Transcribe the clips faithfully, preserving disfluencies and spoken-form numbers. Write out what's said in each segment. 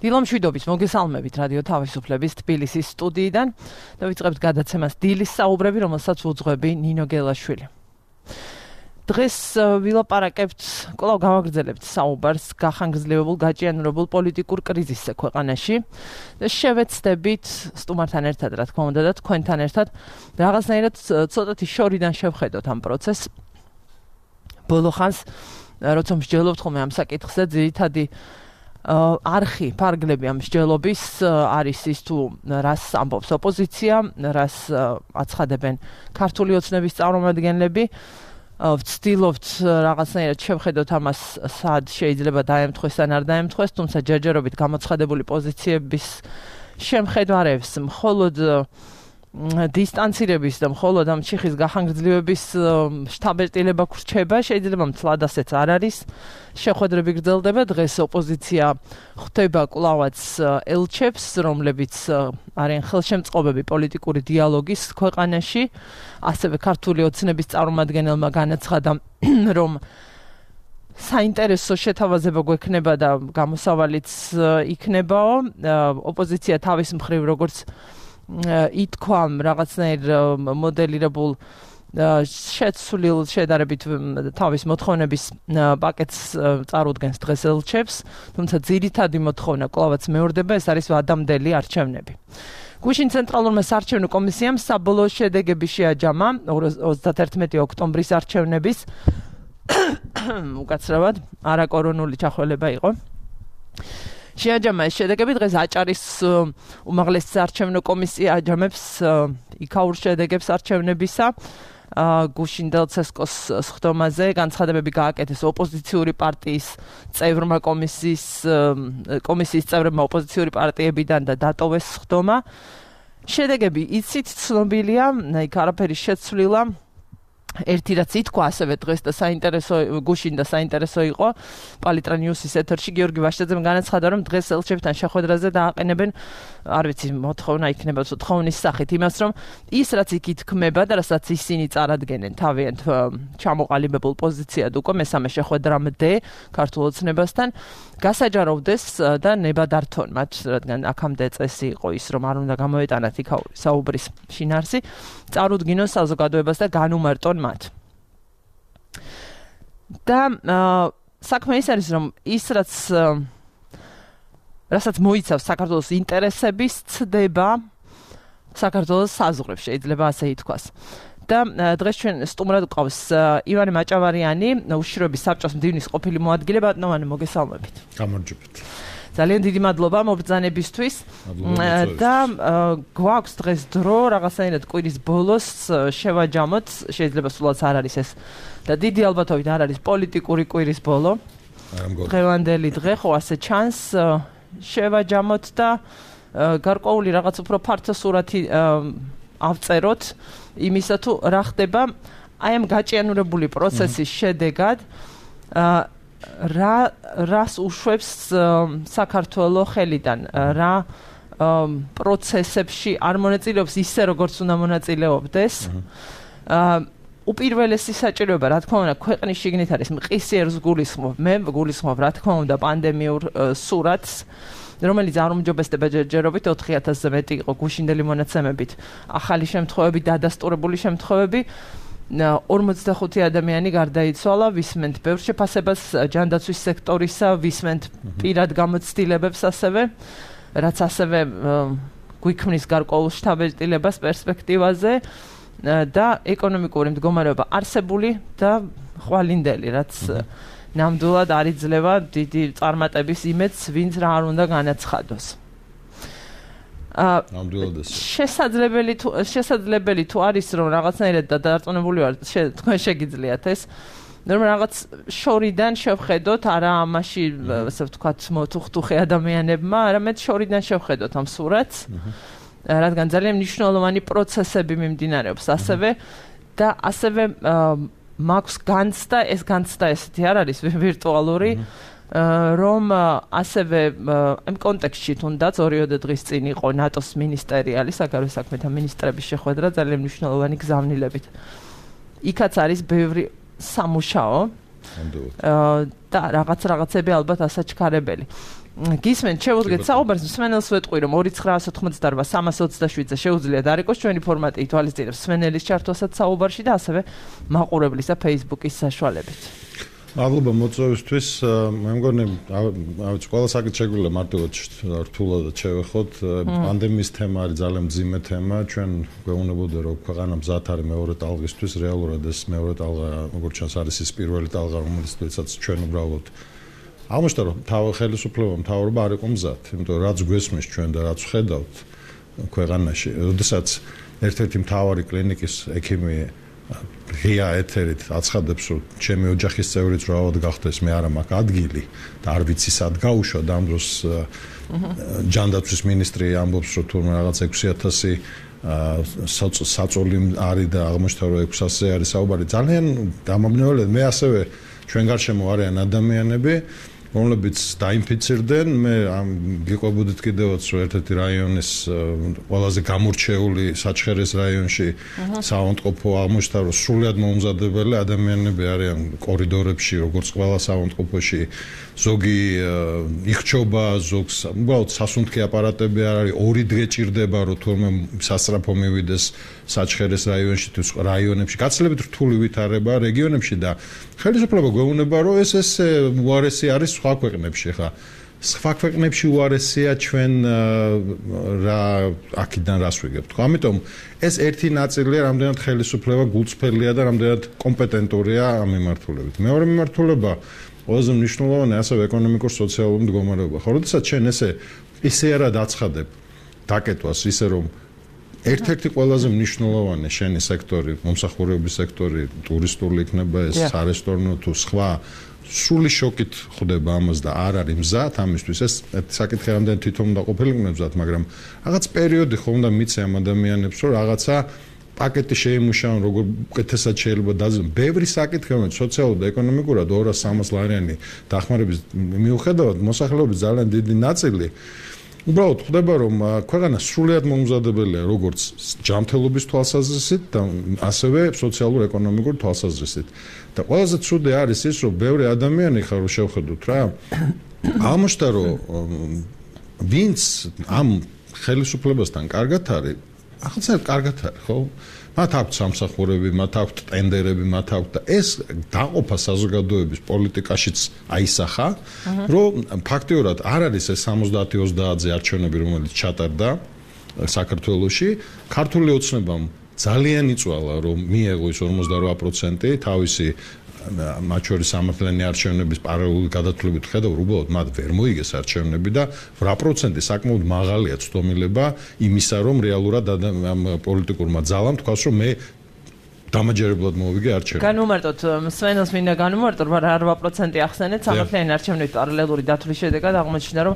დილომშვიდობის მოგესალმებით რადიო თავისუფლების თბილისის სტუდიიდან და ვიწყებთ გადაცემას დილის საუბრები, რომელსაც უძღვები ნინო გელაშვილი. დღეს ვილაპარაკებთ, კვლავ გავაგრძელებთ საუბარს გახანგრძლივებულ გაჭიანურებულ პოლიტიკურ კრიზისზე ქვეყანაში და შევეცდებით სტუმართან ერთად, რა თქმა უნდა, და თქვენთან ერთად რაღაცნაირად ცოტათი შორიდან შევხედოთ ამ პროცესს. ბოლო ხანს, როცა მსჯელობთ ხოლმე ამ საკითხზე, ძირითადი არხი, ფარგლები ამ მსჯელობის არის ის თუ რას ამბობს ოპოზიცია, რას აცხადებენ ქართული ოცნების წარმომადგენლები. ვცდილობთ რაღაცნაირად შევხედოთ ამას, სად შეიძლება დაემთხვეს ან არ დაემთხვეს, თუმცა ჯერჯერობით გამოცხადებული პოზიციების შემხედარებს მხოლოდ დისტანცირების და მხოლოდ ამ ჩიხის გახანგრძლივების შთაბეჭდილება გრჩება, შეიძლება მცლად ასეც არ არის. შეხვედრები გრძელდება, დღეს ოპოზიცია ხვდება კვლავაც ელჩებს, რომლებიც არიან ხელშემწყობები პოლიტიკური დიალოგის ქვეყანაში. ასევე ქართული ოცნების წარმომადგენელმა განაცხადა, რომ საინტერესო შეთავაზება გვექნება და გამოსავალიც იქნებაო. ოპოზიცია თავის მხრივ როგორც ითქვა რაღაცნაირ მოდელირებულ შეცვლილ შედარებით თავის მოთხოვნების პაკეტს წარუდგენს დღეს ელჩებს, თუმცა ძირითადი მოთხოვნა კვლავაც მეორდება, ეს არის ვადამდელი არჩევნები. გუშინ ცენტრალურმა საარჩევნო კომისიამ საბოლოო შედეგები შეაჯამა ოცდაათერთმეტი ოქტომბრის არჩევნების უკაცრავად არაკორონული ჩახველება იყო. შეაჯამა ეს შედეგები, დღეს აჭარის უმაღლესი საარჩევნო კომისია აჯამებს იქაურ შედეგებს არჩევნებისა. გუშინ დელცესკოს სხდომაზე განცხადებები გააკეთეს ოპოზიციური პარტიის წევრმა კომისიის კომისიის წევრებმა ოპოზიციური პარტიებიდან და დატოვეს სხდომა. შედეგები იცით ცნობილია, იქ არაფერი შეცვლილა. ერთი რაც ითქვა ასევე დღეს და საინტერესო გუშინ და საინტერესო იყო პალიტრა ნიუსის ეთერში გიორგი ვაშტაძემ განაცხადა, რომ დღეს ელჩებთან შეხვედრაზე დააყენებენ, არ ვიცი, მოთხოვნა იქნება თხოვნის სახით იმას, რომ ის რაც იქ ითქმება და რასაც ისინი წარადგენენ თავიანთ ჩამოყალიბებულ პოზიციად უკვე მესამე შეხვედრამდე ქართულ ოცნებასთან გასაჯაროვდეს და ნებადართონ მათ, რადგან აქამდე წესი იყო ის, რომ არ უნდა გამოეტანათ იქაური საუბრის შინაარსი, წარუდგინონ საზოგადოებას და განუმარტონ მათ. და საქმე ის არის, რომ ის რაც რასაც მოიცავს საქართველოს ინტერესების ცდება საქართველოს საზღვრებს, შეიძლება ასე ითქვას. და დღეს ჩვენ სტუმრად გვყავს ივანე მაჭავარიანი, უშიშროების საბჭოს მდივნის ყოფილი მოადგილე. ბატონო, მოგესალმებით. გამარჯობთ. ძალიან დიდი მადლობა მობრძანებისთვის და გვაქვს დღეს დრო რაღაცნაირად კვირის ბოლოს შევაჯამოთ, შეიძლება სულაც არ არის ეს და დიდი ალბათობით არ არის პოლიტიკური კვირის ბოლო. დღევანდელი დღე ხო ასე ჩანს, შევაჯამოთ და გარკვეული რაღაც უფრო ფართო სურათი ავწეროთ იმისა თუ რა ხდება აი ამ გაჭიანურებული პროცესის შედეგად, რა რას უშვებს საქართველოს ხელიდან, რა პროცესებში არ მონაწილეობს ისე როგორც უნდა მონაწილეობდეს. უპირველესი საჭიროება, რა თქმა უნდა, ქვეყნის შიგნით არის მყისიერს გულისხმობ, მე გულისხმობ, რა თქმა უნდა, პანდემიურ სურათს, რომელიც არ უმჯობესდება ჯერჯერობით ოთხი ათასზე მეტი იყო გუშინდელი მონაცემებით, ახალი შემთხვევები, დადასტურებული შემთხვევები. ორმოცდახუთი ადამიანი გარდაიცვალა, ვისმენთ ბევრ შეფასებას ჯანდაცვის სექტორისა, ვისმენთ პირად გამოცდილებებს ასევე, რაც ასევე გვიქმნის გარკვეულ შთაბეჭდილებას პერსპექტივაზე და ეკონომიკური მდგომარეობა არსებული და ხვალინდელი, რაც ნამდვილად არ იძლევა დიდი წარმატების იმედს, ვინც რა არ უნდა განაცხადოს. შესაძლებელი თუ შესაძლებელი თუ არის, რომ რაღაცნაირად და დარწმუნებული ვარ, თქვენ შეგიძლიათ ეს, რომ რაღაც შორიდან შევხედოთ, არა ამაში, ასე ვთქვათ, მოთუხტუხე ადამიანებმა, არამედ შორიდან შევხედოთ ამ სურათს, რადგან ძალიან მნიშვნელოვანი პროცესები მიმდინარეობს ასევე და ასევე მაქვს განცდა, ეს განცდა ესეთი არ არის ვირტუალური, რომ ასევე ამ კონტექსტში თუნდაც ორიოდე დღის წინ იყო ნატოს მინისტერიალი, საგარეო საქმეთა მინისტრების შეხვედრა ძალიან მნიშვნელოვანი გზავნილებით. იქაც არის ბევრი სამუშაო და რაღაც რაღაცები ალბათ ასაჩქარებელი. გისმენთ, შევუდგეთ საუბარს, მსმენელს ვეტყვი, რომ ორი ცხრაას ოთხმოცდაორმა სამას ოცდაშვიდზე შეუძლიათ არიყოს ჩვენი ფორმატი ითვალისწინებს მსმენელის ჩართვასაც საუბარში და ასევე მაყურებლის და Facebook-ის საშუალებით. მადლობა მოწვევისთვის. მე მგონი, ავიც ყველა საკითხი შეგვიძლია მარტივად რთულად შევეხოთ. პანდემიის თემა არის ძალიან მძიმე თემა. ჩვენ გვეუბნებოდა, რომ ქვეყანა მზად არის მეორე ტალღისთვის, რეალურად ეს მეორე ტალღა, როგორც ჩანს, არის ის პირველი ტალღა, რომელსაც ჩვენ უბრალოდ აღმოჩნდა, რომ თავი ხელისუფლება, მთავრობა არ იყო მზად, იმიტომ რაც გვესმის ჩვენ და რაც ვხედავთ ქვეყანაში, როდესაც ერთ-ერთი მთავარი კლინიკის ექიმი ღია ეთერით აცხადებს, რომ ჩემი ოჯახის წევრიც რავად გახდეს, მე არა მაქვს ადგილი და არ ვიცი სად გავუშვა და ამ დროს ჯანდაცვის მინისტრი ამბობს, რომ თურმე რაღაც ექვსი ათასი საწოლი არის და აღმოჩნდა, რომ ექვსი ათასზე არის საუბარი. ძალიან დამაბნეულია. მე ასევე ჩვენ გარშემო არიან ადამიანები, რომლებიც დაინფიცირდნენ. მე გიყვებოდით კიდევაც, რომ ერთ-ერთი რაიონის ყველაზე გამორჩეული საჩხერეს რაიონში საავადმყოფო აღმოჩნდა, რომ სრულიად მოუმზადებელი ადამიანები არიან კორიდორებში, როგორც ყველა საავადმყოფოში. ზოგი იხჩობა, ზოგს უბრალოდ სასუნთქი აპარატები არ არის, ორი დღე ჭირდება, რომ თურმე სასწრაფო მივიდეს საჩხერეს რაიონში თუ რაიონებში. გაცილებით რთული ვითარება რეგიონებში და ხელისუფლება გვეუბნება, რომ ეს ეს უარესი არის სხვა ქვეყნებში, ხა. სხვა ქვეყნებში უარესია, ჩვენ რა აქედან რას ვიგებთ. ამიტომ ეს ერთი ნაწილია, რამდენად ხელისუფლება გულწრფელია და რამდენად კომპეტენტურია ამ მიმართულებით. მეორე მიმართულება ყველაზე მნიშვნელოვანი ასევე ეკონომიკურ-სოციალური მდგომარეობა. ხო, როდესაც ჩვენ ესე ისე არა დაცხადებ დაკეტვას, ისე რომ ერთ-ერთი ყველაზე მნიშვნელოვანი შენი სექტორი, მომსახურების სექტორი, ტურისტული იქნება ეს, სარესტორნო თუ სხვა, სრული შოკით ხვდება ამას და არ არის მზად ამისთვის. ეს საკითხი რამდენ თვითონ უნდა ყოფილიყო მზად, მაგრამ რაღაც პერიოდი ხო უნდა მიცე ამ ადამიანებს, რომ რაღაცა პაკეტი შეიმუშაონ, როგორ უკეთესად შეიძლება დაძებნონ. ბევრი საკითხი, რომელიც სოციალურად და ეკონომიკურად ორას სამას ლარიანი დახმარების მიუხედავად, მოსახლეობის ძალიან დიდი ნაწილი უბრალოდ ხვდება, რომ ქვეყანა სრულიად მოუმზადებელია, როგორც ჯანმრთელობის თვალსაზრისით და ასევე სოციალურ-ეკონომიკურ თვალსაზრისით. და ყველაზე ცუდი არის ის, რომ ბევრი ადამიანი ხარ რომ შევხედოთ რა. აღმოჩნდა, რომ ვინც ამ ხელისუფლებასთან კარგად არის, ახლა კარგად არის, ხო? მათ აქვთ სამსახურები, მათ აქვთ ტენდერები, მათ აქვთ და ეს დაყოფა საზოგადოების პოლიტიკაშიც აისახა, რომ ფაქტიურად არ არის ეს სამოცდაათი ოცდაათზე არჩევნები, რომელიც ჩატარდა საქართველოში, ქართული ოცნებამ ძალიან იწვალა, რომ მიეღო ის ორმოცდარვა პროცენტი თავისი მათ შორის სამართლიანი არჩევნების პარალელური გადათვლებით ხედავ, უბრალოდ მათ ვერ მოიგეს არჩევნები და რვა პროცენტი საკმაოდ მაღალია ცდომილება იმისა, რომ რეალურად ამ პოლიტიკურმა ძალამ თქვას, რომ მე დამაჯერებლად მოვიგე არჩევნები. განვმარტოთ, მსმენელს მინდა განვმარტოთ, რა რვა პროცენტი ახსენეთ სამართლიანი არჩევნების პარალელური დათვლის შედეგად აღმოჩნდა, რომ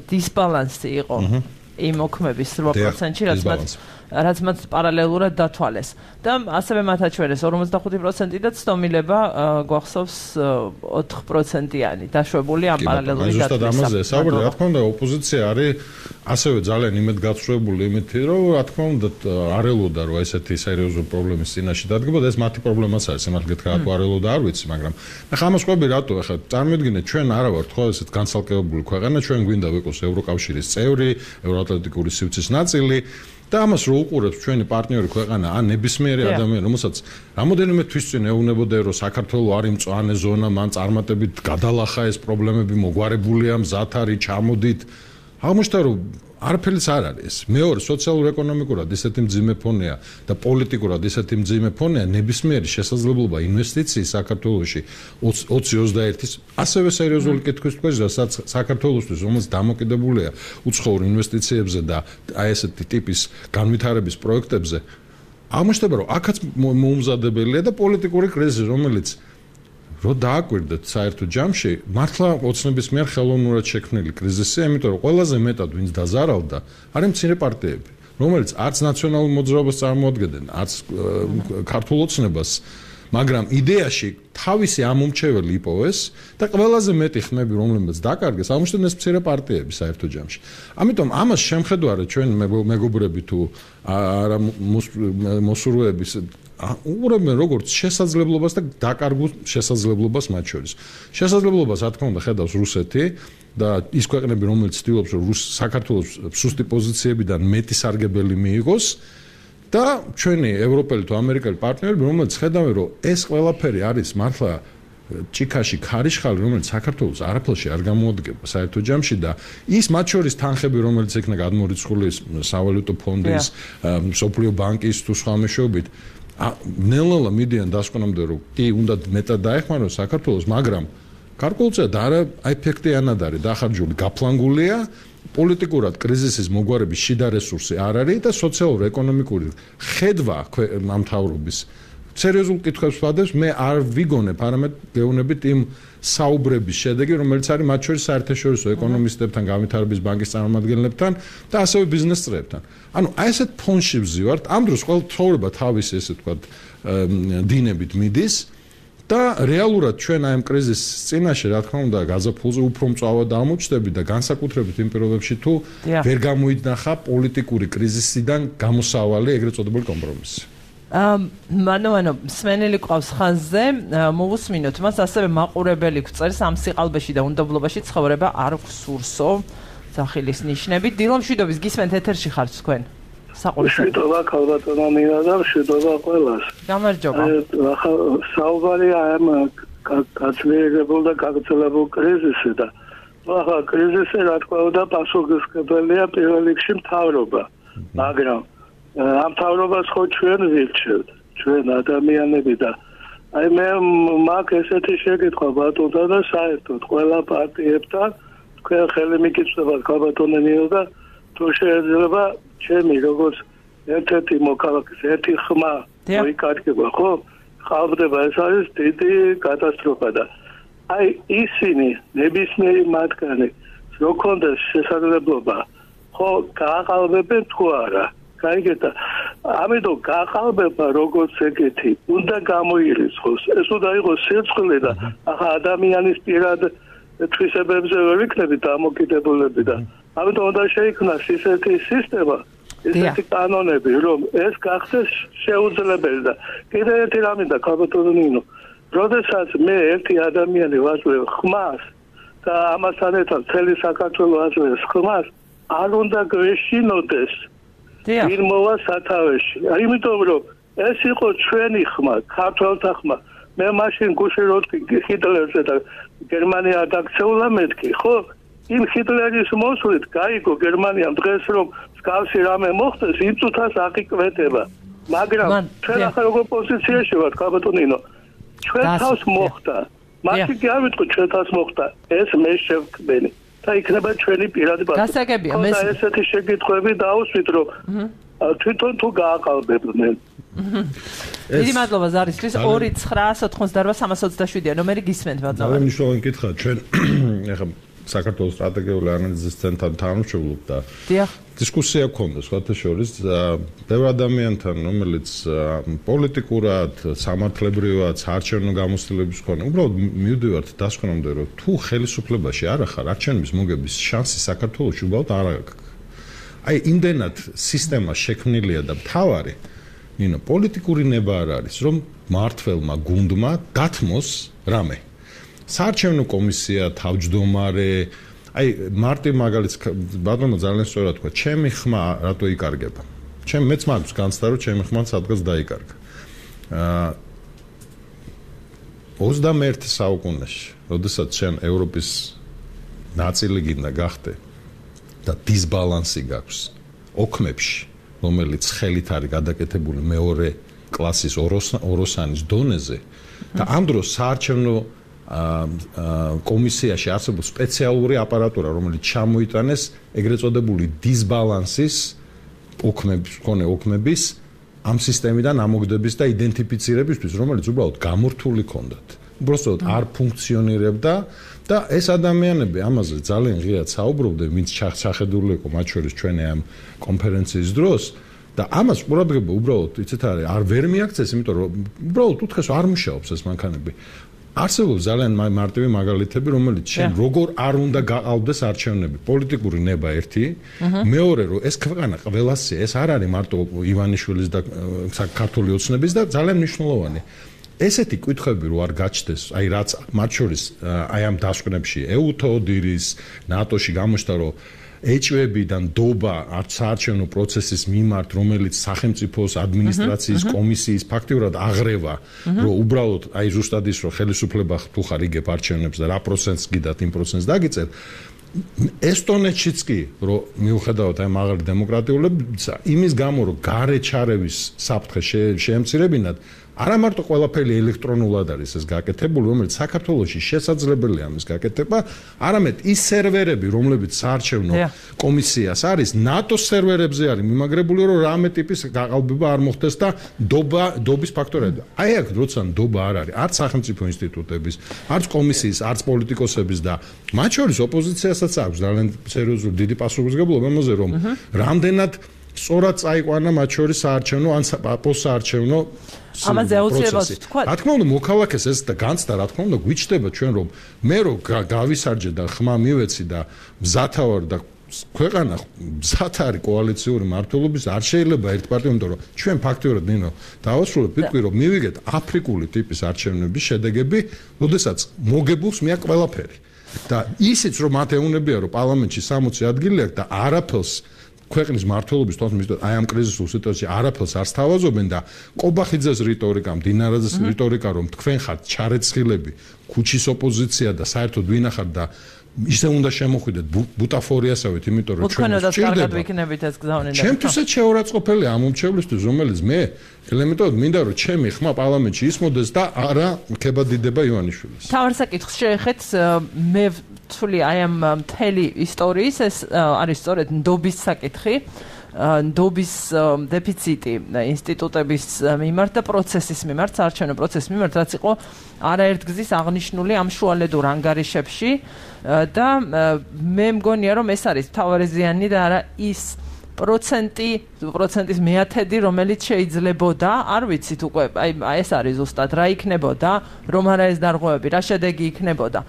დისბალანსი იყო იმ მოქმების რვა პროცენტში, რაც მათ რაც მათ პარალელურად დათვალეს. და ასევე მათ აჩვენეს ორმოცდახუთი პროცენტი და ცდომილება გვახსოვს ოთხ პროცენტიანი დაშვებული ამ პარალელური დათვლის. ზუსტად ამაზე საუბარი, რა თქმა უნდა, ოპოზიცია არის ასევე ძალიან იმედგაცრუებული იმითი, რომ რა თქმა უნდა არ ელოდა, რომ ესეთი სერიოზული პრობლემის წინაშე დადგებოდა, ეს მათი პრობლემაც არის, სიმართლე გითხრათ, თუ არ ელოდა არ ვიცი, მაგრამ ახლა ამას ყვები რატო ახლა წარმოიდგინეთ, ჩვენ არა ვართ ხო ესეთ განცალკევებული ქვეყანა, ჩვენ გვინდა ვიყოს ევროკავშირის წევრი, ევროატლანტიკური სივრცის ნაწილი. და ამას რო უყურებს ჩვენი პარტნიორი ქვეყანა, ან ნებისმიერი ადამიანი, რომელსაც რამოდენიმე თვის წინ ეუბნებოდა, რომ საქართველოს არის მწვანე ზონა, მან წარმატებით გადალახა ეს პრობლემები, მოგვარებულია, მზად არის, ჩამოდით. აღმოჩნდა, რომ არაფერიც არ არის. მეორე, სოციალურ-ეკონომიკურად ისეთი მძიმე ფონია და პოლიტიკურად ისეთი მძიმე ფონია, ნებისმიერი შესაძლებლობა ინვესტიციის საქართველოში ოცი ოცდაერთის ასევე სერიოზული კითხვის თქვენ, რასაც საქართველოსთვის, რომელიც დამოკიდებულია უცხოურ ინვესტიციებზე და აი ესეთი ტიპის განვითარების პროექტებზე, აღმოჩნდება, რომ აქაც მოუმზადებელია და პოლიტიკური კრიზისი, რომელიც რო დააკვირდეთ საერთო ჯამში, მართლა ოცნების მიერ ხელოვნურად შექმნილი კრიზისია, იმიტომ რომ ყველაზე მეტად ვინც დაზარავდა, არის მცირე პარტიები, რომელიც არც ნაციონალურ მოძრაობას წარმოადგენდნენ, არც ქართულ ოცნებას მაგრამ იდეაში თავისი ამომრჩეველი იპოვეს და ყველაზე მეტი ხმები რომლებიც დაკარგეს ამუშტენ ეს მცირე პარტიები საერთო ჯამში. ამიტომ ამას შემხედვარად ჩვენ მეგობრები თუ არა მოსურვეების უყურებენ როგორც შესაძლებლობას და დაკარგულ შესაძლებლობას მათ შორის. შესაძლებლობას რა თქმა უნდა ხედავს რუსეთი და ის ქვეყნები რომელიც ცდილობს რომ საქართველოს სუსტი პოზიციებიდან მეტი სარგებელი მიიღოს და ჩვენი ევროპელი თუ ამერიკელი პარტნიორები რომელიც ხედავენ რომ ეს ყველაფერი არის მართლა ჭიქაში ქარიშხალი რომელიც საქართველოს არაფერში არ გამოადგება საერთო ჯამში და ის მათ შორის თანხები რომელიც იქნა გადმორიცხული სავალუტო ფონდის მსოფლიო ბანკის თუ სხვა მეშვეობით ნელ-ნელა მიდიან დასკვნამდე რომ კი უნდა მეტად დაეხმაროს საქართველოს მაგრამ გარკვეულწილად არა ეფექტიანად არის დახარჯული გაფლანგულია პოლიტიკურად კრიზისის მოგვარების შიდა რესურსი არ არის და სოციალურ-ეკონომიკური ხედვა ამ მთავრობის სერიოზულ კითხვებს ვადებს მე არ ვიგონებ არამედ გეუბნებით იმ საუბრების შედეგი რომელიც არის მათ შორის საერთაშორისო ეკონომისტებთან განვითარების ბანკის წარმომადგენლებთან და ასევე ბიზნეს წრეებთან ანუ აი ესეთ ფონში ვზივართ ამ დროს ყველა ცხოვრება თავისი ესე ვთქვათ დინებით მიდის და რეალურად ჩვენ აი ამ კრიზისის წინაშე რა თქმა უნდა გაზაფხულზე უფრო მწვავად აღმოჩნდები და განსაკუთრებით იმ პირობებში თუ ვერ გამოიძნახა პოლიტიკური კრიზისიდან გამოსავალი ეგრეთ წოდებული კომპრომისი. ანუ ანუ სმენელი ყავს ხაზზე მოვუსმინოთ მას ასევე მაყურებელი გვწერს ამ სიყალბეში და უნდობლობაში ცხოვრება არ გვსურსო სახილის ნიშნებით დილომშვიდობის გისმენთ ეთერში ხართ თქვენ მშვიდობა ქალბატონო მინდა და მშვიდობა ყველას. გამარჯობა. ახლა საუბარი ამ გაცვლილებულ და გაგრძელებულ კრიზისზე და ახლა კრიზისზე რა თქმა უნდა პასუხისმგებელია პირველ რიგში მთავრობა. მაგრამ ამ მთავრობას ხო ჩვენ ვირჩევთ, ჩვენ ადამიანები და აი მე მაგ ესეთი შეკითხვა ბატონთა და საერთოდ ყველა პარტიებთან თქვენ ხელი მიკითხებათ ქალბატონო მინდა და თუ შეიძლება ჩემი როგორც ერთ-ერთი მოქალაქის ერთი ხმა მოიკარგება ხო ხალხდება ეს არის დიდი კატასტროფა და აი ისინი ნებისმიერი მათგანი რო კონდეს შესაძლებლობა ხო გააყალბებენ თუ არა გაიგეთა ამიტომ გააყალბება როგორც ეგეთი უნდა გამოირიცხოს ეს უნდა იყოს სიცხლე და ახლა ადამიანის პირად თვისებებზე ვერ იქნებით დამოკიდებულები და ამიტომ უნდა შეიქმნას ისეთი სისტემა ესეთი კანონები რომ ეს გახდეს შეუძლებელი და კიდევ ერთი რამე და ქალბატონო ნინო როდესაც მე ერთი ადამიანი ვაძლევ ხმას და ამასთან ერთად მთელი საქართველოს აძლევს ხმას არ უნდა გვეშინოდეს ვინ მოვა სათავეში იმიტომ რომ ეს იყო ჩვენი ხმა ქართველთა ხმა მე მაშინ გუშინ როდი ჰიტლერზე და გერმანია დაქცეულა მეთქი ხო იმ ჰიტლერის მოსვლით გაიგო გერმანიამ დღეს რომ მსგავსი რამე მოხდეს იმ წუთას აღიკვეთება მაგრამ ჩვენ ახლა როგორ პოზიციაში ვართ ქალბატონინო ჩვენ თავს მოხდა მაშინ კი არ ვიტყვი ჩვენ თავს მოხდა ეს მე შევქმენი და იქნება ჩვენი პირადი გასაგებია მე ესეთი შეკითხვები დაუსვით რომ თვითონ თუ გააყალბებდნენ დიდი მადლობა ზარისთვის ორი ცხრაას ოთხმოცდაოთხ სამას ოცდაშვიდი ნომერი გისმენთ მადლობა ძალიან მნიშვნელოვანი კითხვა ჩვენ ეხლა საქართველოს სტრატეგიული ანალიზის ცენტრთან თანამშრომლობ და დისკუსია გქონდა სხვათა შორის ბევრ ადამიანთან რომელიც პოლიტიკურად სამართლებრივად საარჩევნო გამოცდილების მქონე უბრალოდ მივდივართ დასკვნამდე რომ თუ ხელისუფლებაში არ ახარ არჩევნების მოგების შანსი საქართველოში უბრალოდ არ აქვს აი იმდენად სისტემა შექმნილია და მთავარი ნინო პოლიტიკური ნება არ არის რომ მართველმა გუნდმა დათმოს რამე საარჩევნო კომისია თავმჯდომარე აი მარტი მაგალითს ბატონო ძალიან სწორად თქვა ჩემი ხმა რატო იკარგება ჩემ მეც მაქვს განცდა რომ ჩემი ხმა სადღაც დაიკარგა აა ოცდამეერთე საუკუნეში როდესაც შენ ევროპის ნაწილი გინდა გახდე და დისბალანსი გაქვს ოქმებში რომელიც ხელით არის გადაკეთებული მეორე კლასის ოროსანის დონეზე და ამ დროს საარჩევნო კომისიაში არსებობს სპეციალური აპარატურა რომელიც ჩამოიტანეს ეგრეთ წოდებული დისბალანსის ოქმების მქონე ოქმების ამ სისტემიდან ამოგდების და იდენტიფიცირებისთვის რომელიც უბრალოდ გამორთული ქონდათ უბრალოდ არ ფუნქციონირებდა და ეს ადამიანები ამაზე ძალიან ღიად საუბრობდნენ ვინც ჩახედული იყო მათ შორის ჩვენი ამ კონფერენციის დროს და ამას ყურადღება უბრალოდ იცით არის არ ვერ მიაქცეს, იმიტომ რომ უბრალოდ უთხრეს არ მუშაობს ეს მანქანები. არსებობს ძალიან მარტივი მაგალითები, რომელიც შენ როგორ არ უნდა გაყავდეს არჩევნები. პოლიტიკური ნება ერთი, მეორე რომ ეს ქვეყანა ყველასია, ეს არ არის მარტო ივანიშვილის და საქართველოს ოცნების და ძალიან მნიშვნელოვანი. ესეთი კითხვები რო არ გაჩნდეს, აი რაც მათ შორის აი ამ დასკვნებში ეუთოდირის, ნატოში გამოჩნდა რომ ეჭვებიდან დობა საარჩევნო პროცესის მიმართ, რომელიც სახელმწიფოს ადმინისტრაციის კომისიის ფაქტიურად აღრევა, რომ უბრალოდ აი ზუსტად ის რომ ხელისუფლება თუ ხარ იგებ არჩევნებს და რა პროცენტს გიდათ იმ პროცენტს დაგიწერ. ესტონეთშიც კი რომ მიუხედავად აი მაღალი დემოკრატიულებისა, იმის გამო რომ გარე ჩარევის საფრთხე შეემცირებინათ არა მარტო ყველაფერი ელექტრონულად არის ეს გაკეთებული, რომელიც საქართველოში შესაძლებელია ამის გაკეთება, არამედ ის სერვერები, რომლებიც საარჩევნო კომისიას არის, ნატოს სერვერებზე არის მიმაგრებული, რომ რამე ტიპის გაყალბება არ მოხდეს და დობა, დობის ფაქტორები. აი აქ როცა დობა არ არის, არც სახელმწიფო ინსტიტუტების, არც კომისიის, არც პოლიტიკოსების და მათ შორის ოპოზიციასაც აქვს ძალიან სერიოზული დიდი პასუხისმგებლობა ამაზე, რომ რამდენად სწორად წაიყვანა მათ შორის საარჩევნო ან პოსტსაარჩევნო ამაზე აუცილებლად თქვა. რა თქმა უნდა, მოქალაქეს ეს და განცდა, რა თქმა უნდა, გვიჩნდება ჩვენ რომ მე რო გავისარჯე და ხმა მივეცი და მზათავარ და ქვეყანა მზად არის კოალიციური მართლობის, არ შეიძლება ერთ პარტია, იმიტომ რომ ჩვენ ფაქტიურად ნინო დავასრულებ, ვიტყვი რომ მივიგეთ აფრიკული ტიპის არჩევნების შედეგები, როდესაც მოგებულს მეა ყველაფერი. და ისიც რომ მათ ეუნებია რომ პარლამენტში სამოცი ადგილი აქვს და არაფერს ქვეყნის მართლობის თვალსაჩინო აი ამ კრიზისულ სიტუაციაში არაფერს არ სთავაზობენ და ყობახიძეს რიტორიკა, დინარაძეს რიტორიკა რომ თქვენ ხართ ჩარეცხილები, ქუჩის ოპოზიცია და საერთოდ ვინახართ და ისე უნდა შემოხვიდეთ ბუტაფორიასავით, იმიტომ რომ ჩვენ ვჭირდება. ვიქნებით ეს გზავნილი. ჩემთვისაც შეურაცხყოფელია ამ უმრჩევლისთვის, რომელიც მე ელემენტად მინდა რომ ჩემი ხმა პარლამენტში ისმოდეს და არა ქებადიდება ივანიშვილის. თავარ საკითხს შეეხეთ მე თვლი აი ამ მთელი ისტორიის ეს არის სწორედ ნდობის საკითხი, ნდობის დეფიციტი ინსტიტუტების მიმართ და პროცესის მიმართ, საარჩევნო პროცესის მიმართ, რაც იყო არაერთგზის აღნიშნული ამ შუალედურ ანგარიშებში და მე მგონია რომ ეს არის მთავარი ზიანი და არა ის პროცენტი, პროცენტის მეათედი, რომელიც შეიძლებოდა, არ ვიცით უკვე, აი ეს არის ზუსტად რა იქნებოდა, რომ არა ეს დარღვევები, რა შედეგი იქნებოდა.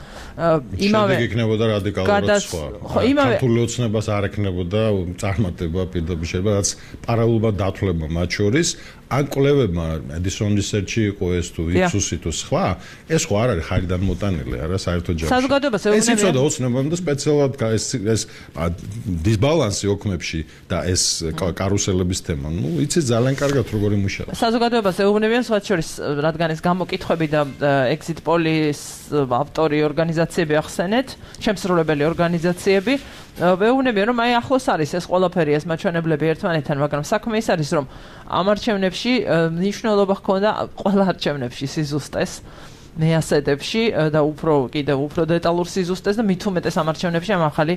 იმავე შედეგი იქნებოდა რადიკალურად სხვა. ხო, იმავე ქართული ოცნებას არ ექნებოდა წარმატება პირდაპირ შეიძლება, რაც პარალელურად დათვლება მათ შორის. ან კვლევებმა Edison Research-ი იყო ეს თუ იფსუსი თუ სხვა, ეს ხო არ არის ხარიდან მოტანილი, არა საერთო ჯამში. საზოგადოებას ეუბნებიან. ეს იცოდა ოცნებამ და სპეციალურად ეს ეს დისბალანსი ოქმებში და ეს კარუსელების თემა. ნუ იცით ძალიან კარგად როგორი მუშაობს. საზოგადოებას ეუბნებიან სხვა შორის, რადგან ეს გამოკითხვები და exit poll-ის ავტორი ორგანიზაციები ახსენეთ, შემსრულებელი ორგანიზაციები, ეუბნებიან რომ აი ახლოს არის ეს ყველაფერი ეს მაჩვენებლები ერთმანეთთან, მაგრამ საქმე ის არის რომ ამ არჩევნებში მნიშვნელობა ჰქონდა ყველა არჩევნებში სიზუსტეს მეასედებში და უფრო კიდევ უფრო დეტალურ სიზუსტეს და მით უმეტეს ამ არჩევნებში ამ ახალი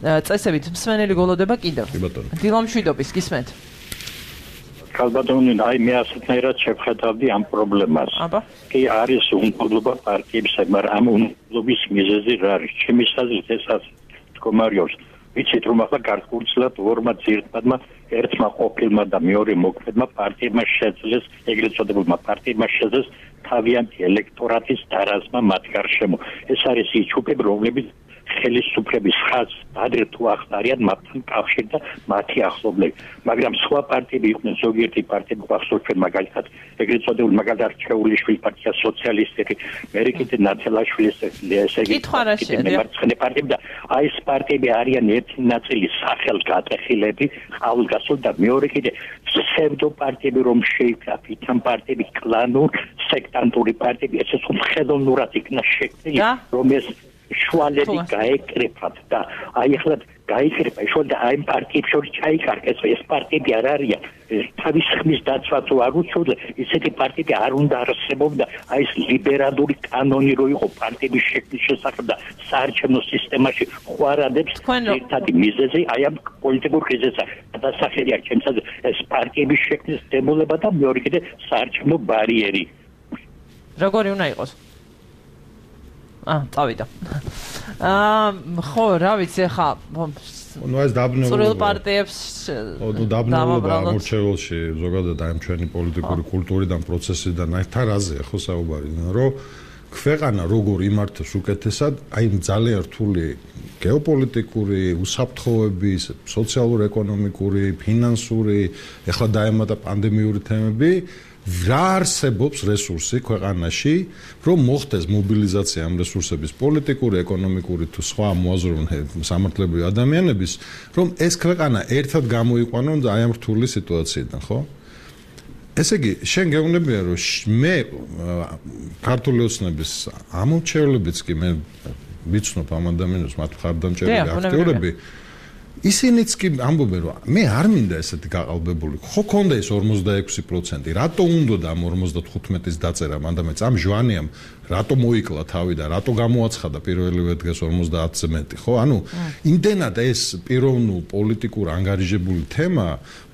წესებით მსმენელი გოლოდება კიდევ. დილამშვიდობის გისმენთ. ალბათონი აი მე ასეთნაირად შევხედავდი ამ პრობლემას. კი არის უნდობლობა პარტიებისა, მაგრამ ამ უნდობლობის მიზეზი რა არის? ჩემი აზრით ეს თქომარიობს. ვიცით რომ ახლა გარკვეულწილად ორმა ძირითადმა ერთმა ყოფილმა და მეორე მოქმედმა პარტიებმა შეძლეს, ეგრეთ წოდებულმა პარტიებმა შეძლეს თავიანთი ელექტორატის დარაზმა მათ გარშემო. ეს არის ის ჯგუფები, რომლებიც ხელისუფლების ხაზს ადრე თუ ახსნარიან მათთან კავშირი და მათი ახლობლები. მაგრამ სხვა პარტიები იყვნენ, ზოგიერთი პარტიები ახსოვთ ჩვენ მაგალითად, ეგრეთ წოდებული მაგალითად რჩეულიშვილის პარტია, სოციალისტები, მერიკიტე ნათელაშვილის ესე იგი მემარცხენე პარტიები და აი ეს პარტიები არიან ერთი ნაწილი სახელგატეხილები, ხალხგასულ და მეორე კიდე ფსევდო პარტიები რომ შეიქმნა, ფითან პარტიები, კლანურ, სექტანტური პარტიები, ეს ხო ხელოვნურად იქნა შექმნილი, რომ ეს შუალედი გაეკრეფათ და აი ახლა გაიკრეფა შუალედი და აი პარტიებს შორის ჩაიკარგეს, ეს პარტიები არ არიან თავის ხმის დაცვაც არ უწევდა, ისეთი პარტიები არ უნდა არსებობდა, აი ეს ლიბერალური კანონი რო იყო პარტიების შექმნის შესახებ და საარჩევნო სისტემაში ხვარადებს ერთადი მიზეზი აი ამ პოლიტიკურ კრიზისს დასახელია ჩემს აზრით ეს პარტიების შექმნის დემოლება და მეორე კიდე საარჩევნო ბარიერი. როგორი უნდა იყოს? Ah, წავიდა. აა ხო, რა ვიცი ხა ну ეს დაბნეულობა სრულ პარტიებს ну დაბნეულობა ამორჩეულში ზოგადად აი ჩვენი პოლიტიკური კულტურიდან პროცესიდან აი თან რაზეა ხო საუბარი რომ ქვეყანა როგორ იმართოს უკეთესად აი ძალიან რთული გეოპოლიტიკური უსაფრთხოების სოციალურ-ეკონომიკური ფინანსური ეხლა დაემატა პანდემიური თემები რა არსებობს რესურსი ქვეყანაში რომ მოხდეს მობილიზაცია ამ რესურსების პოლიტიკური, ეკონომიკური თუ სხვა მოაზროვნე სამართლებრივი ადამიანების რომ ეს ქვეყანა ერთად გამოიყვანონ აი ამ რთული სიტუაციიდან, ხო? ესე იგი, შენ გეუბნებია რომ მე ქართული ოცნების ამორჩეულებიც კი მე ვიცნობ ამ ადამიანებს მათ მხარდამჭერები აქტიურები ისინიც კი ამბობენ რომ მე არ მინდა ესეთი გაყალბებული ხო ქონდა ეს ორმოცდაექვსი პროცენტი რატო უნდა და ამ ორმოცდათხუთმეტის დაწერა მანდამეც ამ ჟვანიამ რატო მოიკლა თავი და რატო გამოაცხადა პირველივე დღეს ორმოცდაათზე მეტი ხო ანუ იმდენად ეს პიროვნულ პოლიტიკურ ანგარიჟებული თემა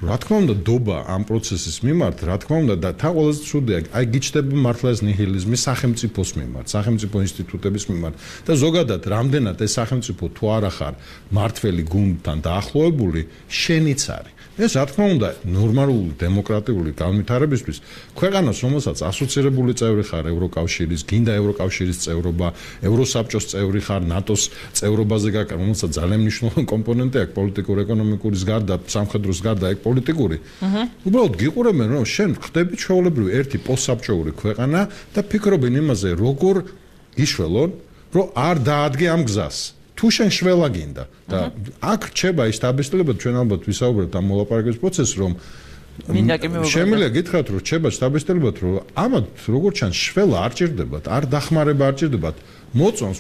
რა თქმა უნდა დობა ამ პროცესის მიმართ რა თქმა უნდა და თან ყველაზე ცუდია აი გიჩნდება მართლა ეს ნიჰილიზმი სახელმწიფოს მიმართ სახელმწიფო ინსტიტუტების მიმართ და ზოგადად რამდენად ეს სახელმწიფო თუ არა ხარ მართველი გუნდთან დაახლოებული შენიც არის ეს რა თქმა უნდა ნორმალური დემოკრატიული განვითარებისთვის ქვეყანას რომელსაც ასოცირებული წევრი ხარ ევროკავშირის გინდა ევროკავშირის წევრობა ევროსაბჭოს წევრი ხარ ნატოს წევრობაზე გაკ რომელსაც ძალიან მნიშვნელოვანი კომპონენტი აქვს პოლიტიკური ეკონომიკურის გარდა სამხედროს გარდა ეგ პოლიტიკური უბრალოდ გიყურებენ რომ შენ ხდები ჩვეულებრივი ერთი პოსტსაბჭოური ქვეყანა და ფიქრობენ იმაზე როგორ იშველონ რომ არ დაადგე ამ გზას თუ შენ შველა გინდა და აქ რჩება ის დაბეჭდილება ჩვენ ალბათ ვისაუბრებთ ამ მოლაპარაკების პროცესს რომ შემიძლია გითხრათ რომ რჩება დაბეჭდილება რომ ამათ როგორც ჩანს შველა არ ჭირდებათ არ დახმარება არ ჭირდებათ მოწონს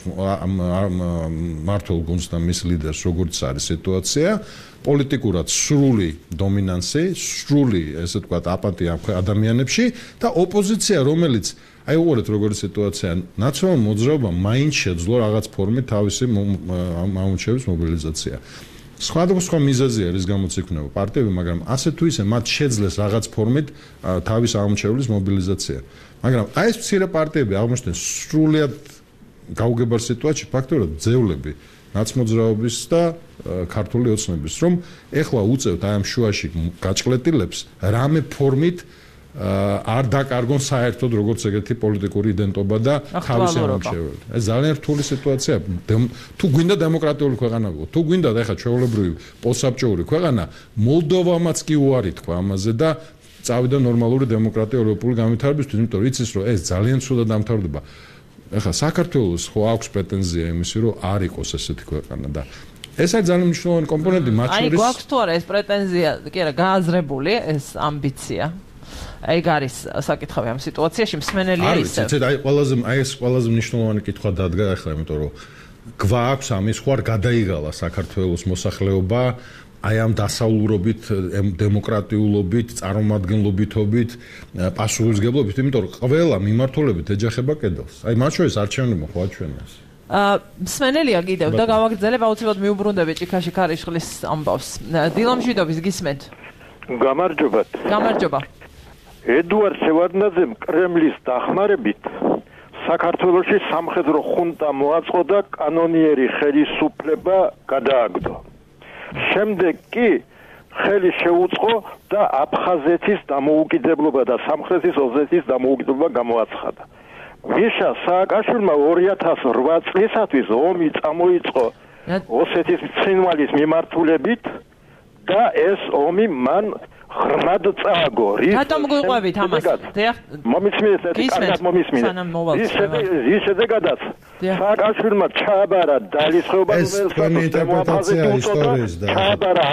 მართულ გუნდს და მის ლიდერს როგორც არის სიტუაცია პოლიტიკურად სრული დომინანსი სრული ესე ვთქვათ აპატია ადამიანებში და ოპოზიცია რომელიც აი უყურეთ როგორი სიტუაცია ნაციონალურ მოძრაობამ მაინც შეძლო რაღაც ფორმით თავისი ამორჩევის მობილიზაცია სხვადასხვა მიზეზი არის გამოც იქნება პარტიები მაგრამ ასე თუ ისე მათ შეძლეს რაღაც ფორმით თავის ამორჩევლის მობილიზაცია მაგრამ აი ეს მცირე პარტიები აღმოჩნდნენ სრულად გაუგებარ სიტუაციაში ფაქტობრივად ძევლები ნაცმოძრაობის და ქართული ოცნების რომ ეხლა უწევთ აი ამ შუაში გაჭყლეტილებს რამე ფორმით არ დაკარგონ საერთოდ როგორც ეგეთი პოლიტიკური იდენტობა და თავისი ამორჩეველი. ეს ძალიან რთული სიტუაცია. თუ გვინდა დემოკრატიული ქვეყანა გქო, თუ გვინდა და ეხლა ჩვეულებრივი პოსტსაბჭოური ქვეყანა, მოლდოვამაც კი უარი თქვა ამაზე და წავიდა ნორმალური დემოკრატია ევროპული განვითარებისთვის, იმიტომ რომ იცის რომ ეს ძალიან ცუდად დამთავრდება. ეხლა საქართველოს ხო აქვს პრეტენზია იმისი რომ არ იყოს ესეთი ქვეყანა და ეს არის ძალიან მნიშვნელოვანი კომპონენტი მათ შორის. აი გვაქვს თუ არა ეს პრეტენზია, კი არა, გააზრებული ეს ამბიცია. აი გარის საკითხავი ამ სიტუაციაში მსმენელია ისე. არის, აი ყველაზე აი ეს ყველაზე მნიშვნელოვანი კითხვა დადგა ახლა, იმიტომ რომ გვაქვს ამის ხوار გადაიღალა საქართველოს მოსახლეობა აი ამ დასავლურობით, დემოკრატიულობით, წარმომადგენლობითობით, პასუხისმგებლობით, იმიტომ რომ ყველა მიმართულებით ეჯახება კედელს. აი მათ შორის არჩევნებმა ხო აჩვენეს. აა მსმენელია კიდევ და გავაგრძელებ აუცილებლად მიუბრუნდები ჭიქაში ქარიშხლის ამბავს. დილამშვიდობის გისმენთ. გამარჯობათ. გამარჯობა. ედუარდ შევარდნაძემ კრემლის დახმარებით საქართველოში სამხედრო ხუნტა მოაწყო და კანონიერი ხელისუფლება გადააგდო. შემდეგ კი ხელი შეუწყო და აფხაზეთის დამოუკიდებლობა და სამხრეთის ოზეთის დამოუკიდებლობა გამოაცხადა. მიშა სააკაშვილმა ორი ათას ოთხ წლისათვის ომი წამოიწყო ოსეთის ცხინვალის მიმართულებით და ეს ომი მან ხრმად წააგო. რატომ გიყვებით ამას? მომისმინეთ, კარგად მომისმინეთ. ის შედეგადაც სააკაშვილმა ჩააბარა დალიცხეობა რომელსაც დემოკრატია ისტორიის და ჩააბარა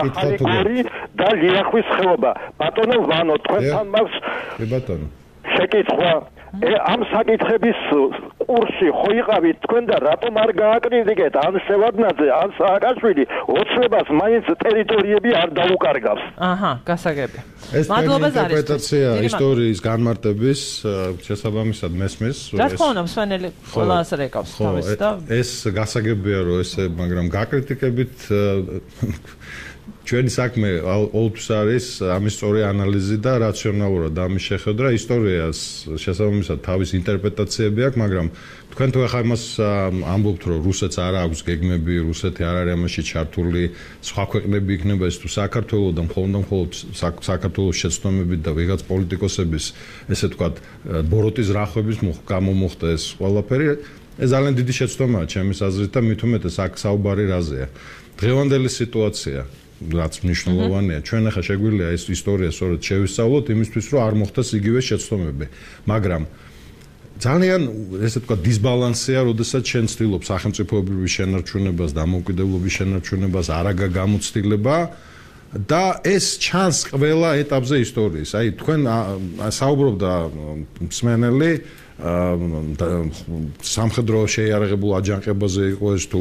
და ლიახვის ხეობა. ბატონო ვანო, თქვენთან მაქვს ბატონო შეკითხვა ამ საკითხების კურსში ხო იყავით თქვენ და რატომ არ გააკრიტიკეთ ან შევარდნაძე ან სააკაშვილი ოცნებას მაინც ტერიტორიები არ დაუკარგავს. აჰა, გასაგები. ეს ინტერპრეტაცია ისტორიის განმარტების შესაბამისად მესმის. რა თქმა უნდა, მსმენელი ყველა ასე ეკავს თავის და ეს გასაგებია რომ ესე, მაგრამ გაკრიტიკებით ჩვენი საქმე ყოველთვის არის ამის სწორი ანალიზი და რაციონალურად ამის შეხედვა. ისტორიას შესაბამისად თავის ინტერპრეტაციები აქვს, მაგრამ თქვენ თუ ახლა იმას ამბობთ, რომ რუსეთს არ აქვს გეგმები, რუსეთი არ არის ამაში ჩართული, სხვა ქვეყნები იქნება ეს თუ საქართველოს და მხოლოდ და მხოლოდ საქართველოს შეცდომებით და ვიღაც პოლიტიკოსების ესე ვთქვათ ბოროტის რახვების გამომოხდა ეს ყველაფერი, ეს ძალიან დიდი შეცდომაა ჩემის აზრით და მით უმეტეს აქ საუბარი რაზეა. დღევანდელი სიტუაცია რაც მნიშვნელოვანია, ჩვენ ახლა შეგვიძლია ეს ისტორია სწორედ შევისწავლოთ იმისთვის, რომ არ მოხდეს იგივე შეცდომები, მაგრამ ძალიან ესე ვთქვათ დისბალანსია, როდესაც შენ ცდილობ სახელმწიფოებრივი შენარჩუნებას, დამოუკიდებლობის შენარჩუნებას, არაგა გამოცდილება და ეს ჩანს ყველა ეტაპზე ისტორიის. აი თქვენ საუბრობდა მსმენელი სამხედრო შეიარაღებულ აჯანყებაზე იყო ეს თუ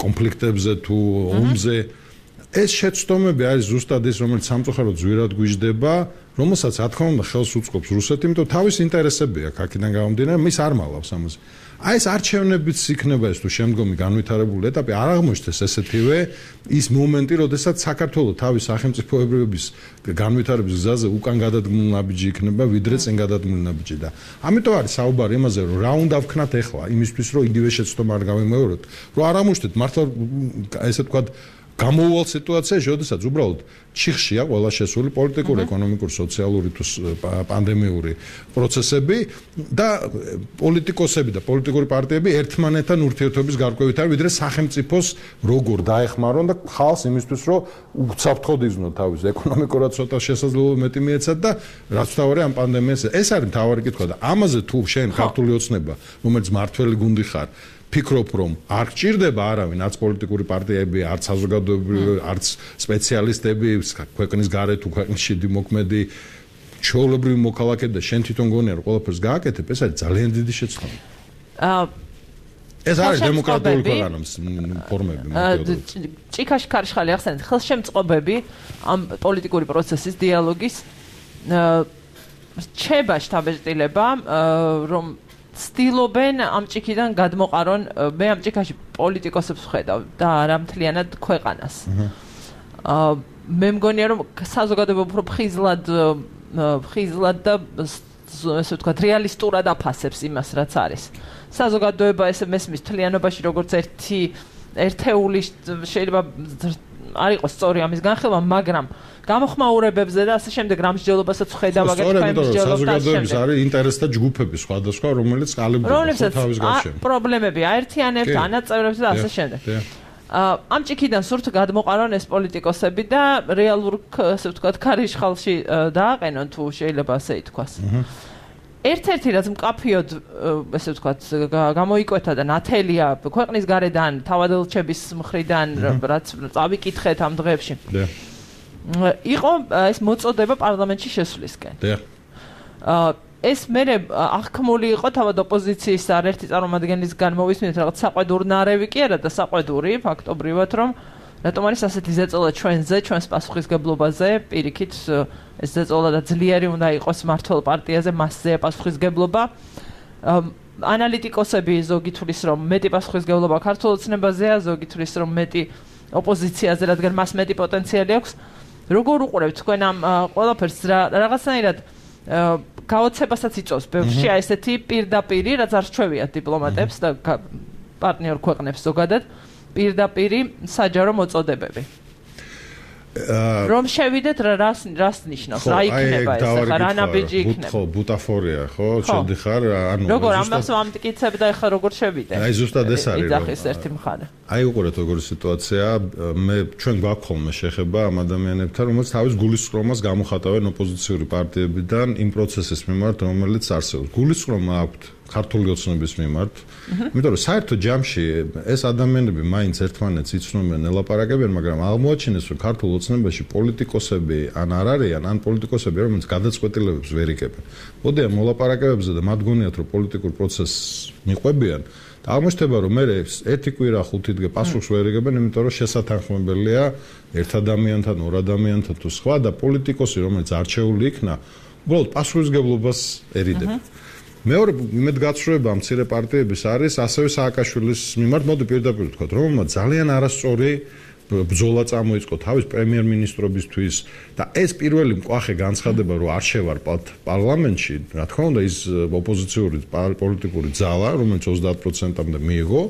კონფლიქტებზე თუ ომზე ეს შეცდომები არის ზუსტად ის რომელიც სამწუხაროდ ზვირად გვიждდება რომელსაც რა თქმა უნდა ხელს უწყობს რუსეთი იმიტომ თავის ინტერესები აქვს აქედან გამომდინარე მის არ მალავს ამაზე აი ეს არჩევნებიც იქნება ეს თუ შემდგომი განვითარებული ეტაპი არ აღმოჩნდეს ესეთივე ის მომენტი როდესაც საქართველოს თავის სახელმწიფოებრიობის განვითარების გზაზე უკან გადადგმული ნაბიჯი იქნება ვიდრე წინ გადადგმული ნაბიჯი და ამიტომ არის საუბარი იმაზე რომ რა უნდა ვქნათ ახლა იმისთვის რომ იგივე შეცდომა არ გავიმეოროთ რომ არ აღმოჩნდეთ მართლა ესე ვთქვათ გამოუვალ სიტუაციაში, როდესაც უბრალოდ ჩიხშია ყველა შესული პოლიტიკური, ეკონომიკური, სოციალური თუ პანდემიური პროცესები და პოლიტიკოსები და პოლიტიკური პარტიები ერთმანეთთან ურთიერთობის გარკვევით არის, ვიდრე სახელმწიფოს როგორ დაეხმარონ და ხალხს იმისთვის, რომ უცაფრთხოდ იზნო თავის ეკონომიკურად ცოტა შესაძლებლობა მეტი მიეცათ და რაც თავარი ამ პანდემიას ეს არის მთავარი კითხვა და ამაზე თუ შენ ქართული ოცნება, რომელიც მართველი გუნდი ხარ ფიქრობ რომ არ გჭირდება არავინ არც პოლიტიკური პარტიები, არც საზოგადოებრივი, არც სპეციალისტები, ქვეყნის გარეთ თუ ქვეყნის შიდი მოქმედი ჩვეულებრივი მოქალაქეები და შენ თვითონ გონია რომ ყველაფერს გააკეთებ, ეს არის ძალიან დიდი შეცდომა. აა ეს არის დემოკრატიული ქვეყანების ფორმები. ჭიქაში ქარიშხალი ახსენეთ, ხელშემწყობები ამ პოლიტიკური პროცესის დიალოგის რჩება შთაბეჭდილება რომ ცდილობენ ამ ჭიქიდან გადმოყარონ მე ამ ჭიქაში პოლიტიკოსებს ვხედავ და არა მთლიანად ქვეყანას. აა მე მგონია რომ საზოგადოება უფრო ხიზლად ხიზლად და ესე ვთქვათ რეალისტურად აფასებს იმას რაც არის. საზოგადოება ესე მესმის მთლიანობაში როგორც ერთი ერთეული შეიძლება არ იყოს სწორი ამის განხილვა, მაგრამ გამოხმაურებებზე და ასე შემდეგ რამსჯელობასაც ვხედავ აგერ მსჯელობ და საზოგადოების არის ინტერესთა ჯგუფები სხვადასხვა, რომელიც ყალიბდება თავის გარშემო. პრობლემები აერთიანებთ, ანაწევრებს და ასე შემდეგ. ამ ჭიქიდან სურთ გადმოყარონ ეს პოლიტიკოსები და რეალურ ასე ვთქვათ ქარიშხალში დააყენონ თუ შეიძლება ასე ითქვას. ერთ-ერთი რაც მკაფიოდ ესე ვთქვათ გამოიკვეთა და ნათელია ქვეყნის გარედან თავადელჩების მხრიდან რაც წავიკითხეთ ამ დღეებში. იყო ეს მოწოდება პარლამენტში შესვლისკენ. აა ეს მე აღქმული იყო თავად ოპოზიციის არერთი წარმომადგენლისგან მოვისმინეთ რაღაც საყვედურნარევი კი არა და საყვედური ფაქტობრივად რომ რატომ არის ასეთი ზეწოლა ჩვენზე, ჩვენს პასუხისგებლობაზე, პირიქით ეს ზეწოლა და ძლიერი უნდა იყოს მართლ პარტიაზე, მასზე პასუხისგებლობა. ანალიტიკოსები ზოგი თulis რომ მეტი პასუხისგებლობა ქართულ ოცნებაზეა, ზოგი თulis რომ მეტი ოპოზიციაზე, რადგან მას მეტი პოტენციალი აქვს. როგორ უყურებთ თქვენ ამ ყველაფერს რაღაცნაირად გაოცებასაც იწვევს ბევრში აი ესეთი პირდაპირი, რაც არ რჩევიათ დიპლომატებს და პარტნიორ ქვეყნებს ზოგადად. პირდაპირი საჯარო მოწოდებები. რომ შევიდეთ რას რას ნიშნავს? რა იქნება ეს? ახლა რა ნაბიჯი იქნება? ხო, ბუტაფორია, ხო? შედიხარ, ანუ როგორ ამას ვამტკიცებ და ახლა როგორ შევიდე? აი ზუსტად ეს არის. იძახის ერთი მხარე. აი უყურეთ როგორი სიტუაცია, მე ჩვენ გვაქვს ხოლმე შეხება ამ ადამიანებთან, რომელიც თავის გულისწყრომას გამოხატავენ ოპოზიციური პარტიებიდან იმ პროცესის მიმართ, რომელიც არსებობს. გულისწყრომა აქვთ ქართული ოცნების მიმართ. იმიტომ რომ საერთო ჯამში ეს ადამიანები მაინც ერთმანეთს იცნობენ, ელაპარაკებენ, მაგრამ აღმოაჩინეს რომ ქართულ ოცნებაში პოლიტიკოსები ან არ არიან, ან პოლიტიკოსები რომელიც გადაწყვეტილებებს ვერ იკებენ. მოდიან მოლაპარაკებებზე და მათ გონიათ რომ პოლიტიკურ პროცესს მიყვებიან. და აღმოჩნდება რომ მე ერთი კვირა ხუთი დღე პასუხს ვერ იგებენ, იმიტომ რომ შესათანხმებელია ერთ ადამიანთან, ორ ადამიანთან თუ სხვა და პოლიტიკოსი რომელიც არჩეული იქნა, უბრალოდ პასუხისგებლობას ერიდებს. მეორე იმედგაცრუება მცირე პარტიების არის ასევე სააკაშვილის მიმართ, მოდი პირდაპირ ვთქვათ, რომელმაც ძალიან არასწორი ბრძოლა წამოიწყო თავის პრემიერ-მინისტრობისთვის და ეს პირველი მკვახე განცხადება რომ არ შევარყავთ პარლამენტში, რა თქმა უნდა ის ოპოზიციური პოლიტიკური ძალა, რომელიც ოცდაათ პროცენტამდე მიიღო,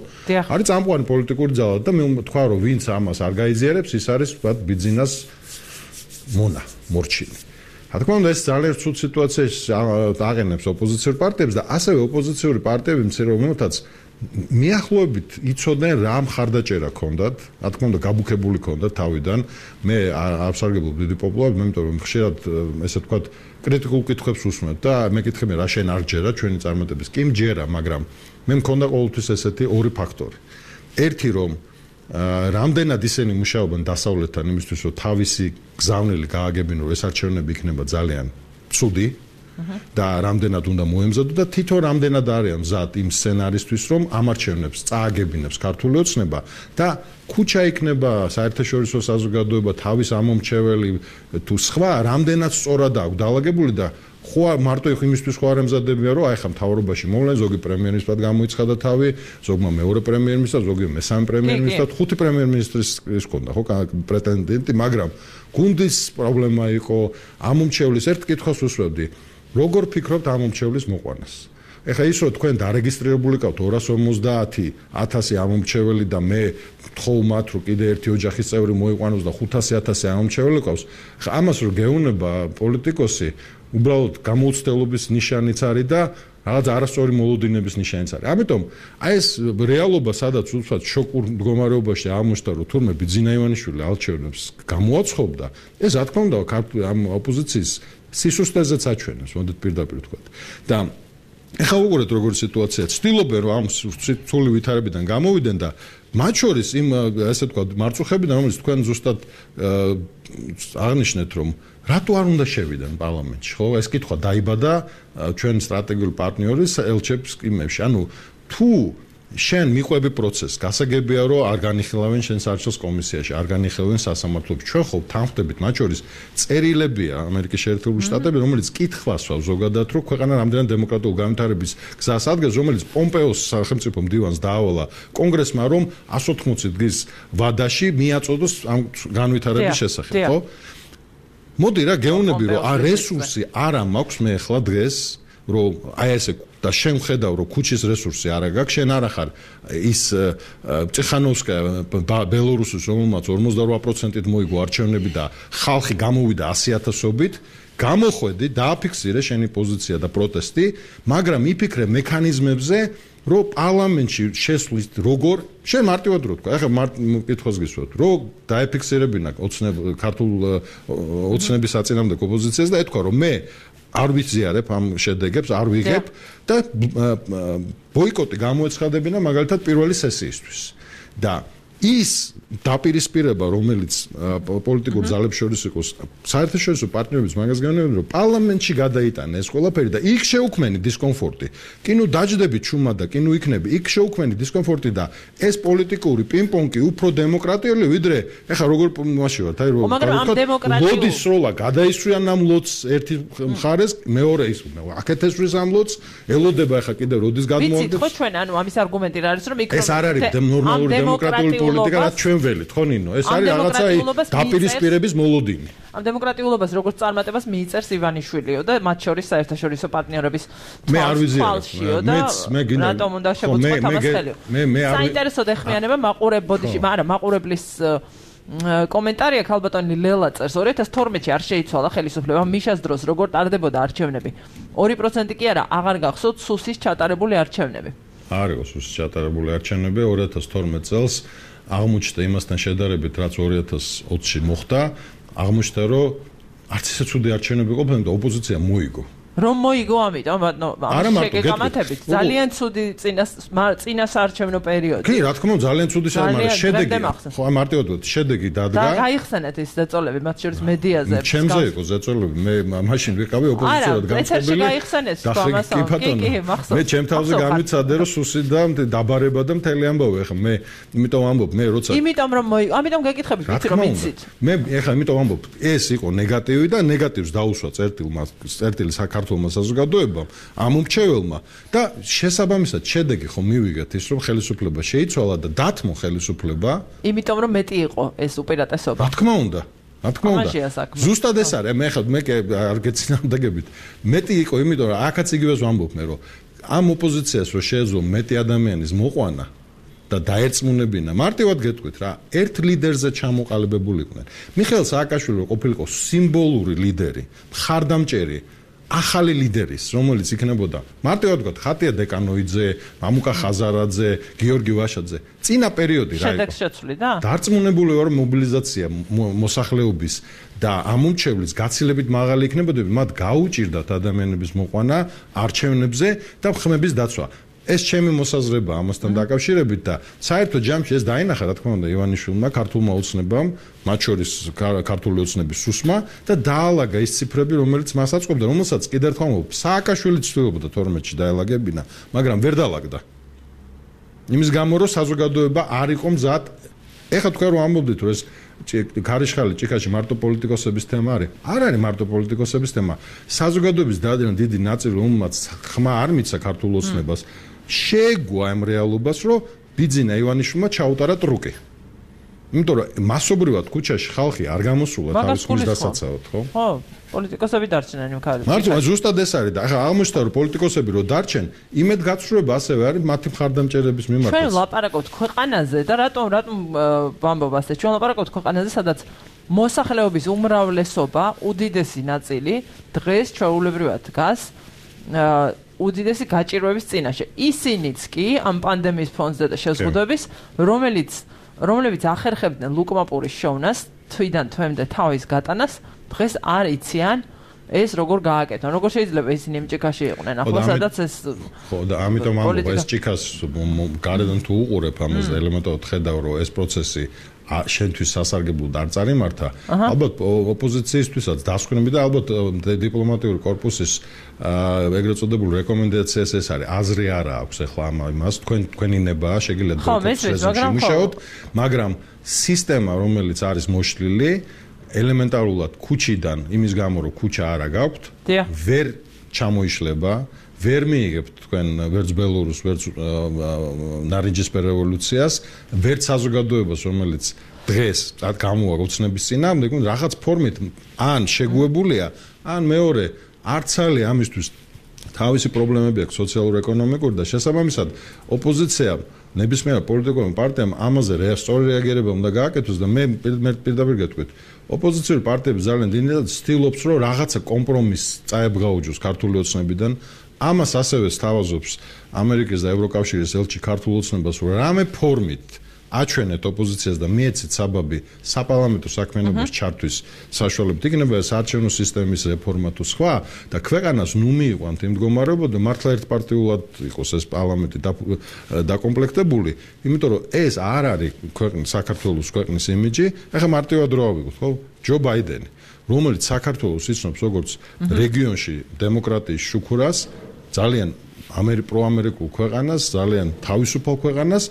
არის წამყვანი პოლიტიკური ძალა და მე ვთქვა რომ ვინც ამას არ გაიზიარებს, ის არის ვთქვათ ბიძინას მონა, მორჩილი. რა თქმა უნდა ეს ძალიან ცუდ სიტუაციაში აყენებს ოპოზიციურ პარტიებს და ასევე ოპოზიციური პარტიები მცირეობითაც მიახლოებით იცოდნენ რა მხარდაჭერა ქონდათ, რა თქმა უნდა გაბუქებული ქონდათ თავიდან. მე არ ვსარგებლობ დიდი პოპულარობით, მე იმიტომ რომ ხშირად ესე ვთქვათ კრიტიკულ კითხვებს უსმენთ და მეკითხები რა შენ არ ჯერა ჩვენი წარმატების. კი მჯერა, მაგრამ მე მქონდა ყოველთვის ესეთი ორი ფაქტორი. ერთი რომ რამდენად ისინი მუშაობენ დასავლეთთან იმისთვის რომ თავისი გზავნილი გააგებინონ, ეს არჩევნები იქნება ძალიან ცუდი და რამდენად უნდა მოემზადო და თითო რამდენად არიან მზად იმ სცენარისთვის რომ ამ არჩევნებს წააგებინებს ქართული ოცნება და ქუჩა იქნება საერთაშორისო საზოგადოება თავის ამომრჩეველი თუ სხვა რამდენად სწორად აქვს დაალაგებული და ხო მარტო იმისთვის ხო არ ემზადებიან რომ აი ხა მთავრობაში მოვლენ ზოგი პრემიერ-მინისტრად გამოიცხადა თავი, ზოგმა მეორე პრემიერ-მინისტრად, ზოგი მესამე პრემიერ-მინისტრად, ხუთი პრემიერ-მინისტრის ის ქონდა ხო პრეტენდენტი, მაგრამ გუნდის პრობლემა იყო ამომრჩევლის ერთ კითხვას უსვევდი როგორ ფიქრობთ ამომრჩევლის მოყვანას? ეხლა ის რომ თქვენ დარეგისტრირებული ყავთ ორას ორმოცდაათი ათასი ამომრჩეველი და მე ვთხოვ მათ რომ კიდე ერთი ოჯახის წევრი მოიყვანოს და ხუთასი ათასი ამომრჩეველი ყავს. ხა ამას რომ გეუნება პოლიტიკოსი, უბრალოდ გამოუცდელობის ნიშანიც არის და რაღაც არასწორი მოლოდინების ნიშანიც არის. ამიტომ აი ეს რეალობა სადაც უცბად შოკურ მდგომარეობაში აღმოჩნდა რომ თურმე ბიძინა ივანიშვილი არჩევნებს გამოაცხობდა, ეს რა თქმა უნდა ამ ოპოზიციის სისუსტეზეც აჩვენებს, მოდით პირდაპირ ვთქვათ. და ეხლა უყურეთ როგორი სიტუაციაა. ცდილობენ რომ ამ სრული ვითარებიდან გამოვიდნენ და მათ შორის იმ ესე ვთქვათ მარწუხებიდან რომელიც თქვენ ზუსტად აღნიშნეთ რომ რატო არ უნდა შევიდნენ პარლამენტში, ხო? ეს კითხვა დაიბადა ჩვენ სტრატეგიული პარტნიორის ელჩებს იმებში. ანუ თუ შენ მიყვები პროცესს, გასაგებია რომ არ განიხილავენ შენ საერთაშორისო კომისიაში, არ განიხილავენ სასამართლოებში. ჩვენ ხო თანხმდებით მათ შორის წერილებია ამერიკის შეერთებული შტატები, რომელიც კითხვას ვავს ზოგადად რომ ქვეყანა რამდენად დემოკრატიულ განვითარების გზას ადგეს, რომელიც პომპეოს სახელმწიფო მდივანს დაავალა კონგრესმა რომ εκατს ოთხმოცი დღის ვადაში მიაწოდოს ამ განვითარების შესახებ, ხო? მოდი რა გეუნები რომ ა რესურსი არ მაქვს მე ახლა დღეს რომ აი ესე და შენ ხედავ რომ ქუჩის რესურსი არ აქვს, შენ არ ახარ ის წიხანოვსკა ბელორუსის რომელმაც ორმოცდაორვა პროცენტით მოიგო არჩევნები და ხალხი გამოვიდა ასი ათასობით, გამოხვედი, დააფიქსირე შენი პოზიცია და პროტესტი, მაგრამ იფიქრე მექანიზმებზე რომ პარლამენტში შესვლის როგორ შენ მარტივად რო თქვა, ახლა კითხვას გისვათ, რომ დააფიქსირებინა ოცნებ ქართულ ოცნების საწინააღმდეგო პოზიციას და ეთქვა რომ მე არ ვიზიარებ ამ შედეგებს, არ ვიღებ და ბოიკოტი გამოეცხადებინა მაგალითად პირველი სესიისთვის. და ის დაპირისპირება, რომელიც პოლიტიკურ ძალებს შორის იყო, საერთაშორისო პარტნიორების მაგას განმეორდა, რომ პარლამენტში გადაიტანა ეს ყველაფერი და იქ შეუქმენი დისკომფორტი. კი ნუ დაждები ჩუმა და კი ნუ იქნები, იქ შეუქმენი დისკომფორტი და ეს პოლიტიკური პინგ-პონგი უფრო დემოკრატიული ვიდრე ეხა როგორ მასში ვართ, აი რომ ლოდის სროლა გადაისვრიან ამ ლოდს ერთი მხარეს, მეორე ის აქეთ ესვრის ამ ლოდს, ელოდება ეხა კიდე როდის გადმოვიდეს. ვიცით ხო ჩვენ ანუ ამის არგუმენტი რა არის რომ იქ ეს არ არის ნორმალური დემოკრატიული პოლიტიკა, რაც ჩვენ ველით, ხო ნინო? ეს არის რაღაცა დაპირისპირების მოლოდინი. ამ დემოკრატიულობას როგორც წარმატებას მიიწერს ივანიშვილიო და მათ შორის საერთაშორისო პარტნიორების მე არ ვიზიარებ. მეც მე გინდა რატომ უნდა შეგუწყოთ ამას ხელი? მე მე არ საინტერესო დეხმიანება მაყურებოდიში, მაგრამ მაყურებლის კომენტარი აქ ალბათონი ლელა წერს ორი ათას თორმეტში არ შეიცვალა ხელისუფლება მიშას დროს როგორ ტარდებოდა არჩევნები. ორი პროცენტი კი არა, აღარ გახსოვთ სუსის ჩატარებული არჩევნები. არ იყო სუსის ჩატარებული არჩევნები ორი ათას თორმეტ წელს აღმოჩნდა იმასთან შედარებით, რაც ორი ათას ოცში მოხდა, აღმოჩნდა რომ არც ისე ცუდი არჩევნები ყოფილა და ოპოზიცია მოიგო. რომ მოიგო ამიტომ, ამ შეგეკამათებით ძალიან ცუდი წინას წინას არჩევნო პერიოდი. კი, რა თქმა უნდა, ძალიან ცუდი მაგრამ შედეგი. ხო, აი მარტივად ვთქვი, შედეგი დადგა. და გაიხსენეთ ის ზეწოლები, მათ შორის მედიაზე. ჩემზე იყო ზეწოლები, მე მაშინ ვიყავი ოპოზიციურად განწყობილი. არა, გაიხსენეთ თამასა. კი, კი, მახსოვს. მე ჩემ თავზე გამიცადე რომ სუსი და დაბარება და მთელი ამბავი ახლა მე იმიტომ ამბობ მე როცა იმიტომ რომ მოიგო, ამიტომ გეკითხებით ვიცი რომ იცით. მე ახლა იმიტომ ამბობ, ეს იყო ნეგატივი და ნეგატივს დაუსვა წერტილმა წერტილი საქართველოს ქართულმა საზოგადოებამ, ამ უმრჩეველმა და შესაბამისად შედეგი ხო მივიღეთ ის რომ ხელისუფლება შეიცვალა და დათმო ხელისუფლება. იმიტომ რომ მეტი იყო ეს უპირატესობა. რა თქმა უნდა. რა თქმა უნდა. ზუსტად ეს არის, მე ხა მე არ გეცინამდაგებით. მეტი იყო, იმიტომ რომ აქაც იგივეს ვამბობ მე რომ ამ ოპოზიციას რო შეეძლო მეტი ადამიანის მოყვანა და დაერწმუნებინა, მარტივად გეტყვით რა, ერთ ლიდერზე ჩამოყალიბებულიყვნენ. მიხეილ სააკაშვილი ყოფილიყო სიმბოლური ლიდერი, მხარდამჭერი, ახალი ლიდერის, რომელიც იქნებოდა მარტივად ვთქვათ, ხატია დეკანოიძე, მამუკა ხაზარაძე, გიორგი ვაშაძე. წინა პერიოდი რა იყო? შედეგს შეცვლი და? დარწმუნებული ვარ მობილიზაცია მოსახლეობის და ამომრჩევლის გაცილებით მაღალი იქნებოდა, მათ გაუჭირდათ ადამიანების მოყვანა არჩევნებზე და ხმების დაცვა. ეს ჩემი მოსაზრება ამასთან დაკავშირებით და საერთოდ ჯამში ეს დაინახა რა თქმა უნდა ივანიშვილმა ქართულმა ოცნებამ, მათ შორის ქართული ოცნების სუსმა და დაალაგა ის ციფრები, რომელიც მას აწყობდა, რომელსაც კიდევ ერთხელ ვამბობ, სააკაშვილი ცდილობდა თორმეტში დაელაგებინა, მაგრამ ვერ დაალაგდა. იმის გამო რომ საზოგადოება არ იყო მზად. ეხლა თქვენ რომ ამბობდით რომ ეს ქარიშხალი ჭიქაში მარტო პოლიტიკოსების თემა არის. არ არის მარტო პოლიტიკოსების თემა. საზოგადოების დიდი ნაწილი რომელმაც ხმა არ მიცა ქართულ ოცნებას შეეგუა ამ რეალობას, რომ ბიძინა ივანიშვილმა ჩაუტარა ტრუკი. იმიტომ რომ მასობრივად ქუჩაში ხალხი არ გამოსულა თავის ხმის დასაცავად, ხო? ხო, პოლიტიკოსები დარჩნენ იმ ქარიშხალში. მართლა ზუსტად ეს არის და ახლა აღმოჩნდა რომ პოლიტიკოსები რო დარჩენ, იმედ გაცხრუება ასევე არის მათი მხარდამჭერების მიმართაც. ჩვენ ლაპარაკობთ ქვეყანაზე და რატომ რატომ ვამბობ ასე? ჩვენ ლაპარაკობთ ქვეყანაზე, სადაც მოსახლეობის უმრავლესობა, უდიდესი ნაწილი დღეს ჩვეულებრივად დგას უდიდესი გაჭირვების წინაშე. ისინიც კი ამ პანდემიის ფონზე და შეზღუდვების, რომელიც რომლებიც ახერხებდნენ ლუკმაპურის შოვნას, თვიდან თვემდე თავის გატანას, დღეს არ იციან ეს როგორ გააკეთონ. როგორ შეიძლება ისინი იმ ჭიქაში იყვნენ? ახლა სადაც ეს ხო და ამიტომ ამბობ ეს ჭიქას გარედან თუ უყურებ ამას და ელემენტარულად ხედავ რომ ეს პროცესი შენთვის სასარგებლოდ არ წარიმართა, ალბათ ოპოზიციისთვისაც დასკვნები და ალბათ დიპლომატიური კორპუსის ეგრეთ წოდებულ რეკომენდაციას ეს არის. აზრი არა აქვს ახლა ამას, თქვენ თქვენი ნებაა, შეგიძლიათ პროცესში მუშაოთ, მაგრამ სისტემა რომელიც არის მოშლილი ელემენტარულად ქუჩიდან, იმის გამო რომ ქუჩა არა გაქვთ, ვერ ჩამოიშლება, ვერ მიიღებთ თქვენ ვერც ბელორუს, ვერც ნარინჯისფერ რევოლუციას, ვერც საზოგადოებას, რომელიც დღეს გამოვა ოცნების წინააღმდეგ, რაღაც ფორმით ან შეგუებულია, ან მეორე არცალი ამისთვის თავისი პრობლემები აქვს სოციალურ-ეკონომიკური და შესაბამისად ოპოზიციამ ნებისმიერ პოლიტიკურ პარტიამ ამაზე სწორი რეაგირება უნდა გააკეთოს და მე პირდაპირ გეტყვით ოპოზიციური პარტიები ძალიან დიდად ცდილობს რომ რაღაცა კომპრომისს წაებღაუჯოს ქართული ოცნებიდან ამას ასევე სთავაზობს ამერიკის და ევროკავშირის ელჩი ქართულ ოცნებას რომ რამე ფორმით აჩვენეთ ოპოზიციას და მიეცეთ საბაბი საპარლამენტო საქმიანობის ჩართვის საშუალებით იქნება ეს არჩევნო სისტემის რეფორმა თუ სხვა და ქვეყანას ნუ მიიყვანთ იმ მდგომარეობა და მართლა ერთპარტიულად იყოს ეს პარლამენტი დაკომპლექტებული, იმიტომ რომ ეს არ არის ქვეყნის საქართველოს ქვეყნის იმიჯი, ახლა მარტივად რო ავიღოთ, ხო? ჯო ბაიდენი, რომელიც საქართველოს იცნობს როგორც რეგიონში დემოკრატიის შუქურას, ძალიან ამერი პროამერიკულ ქვეყანას, ძალიან თავისუფალ ქვეყანას.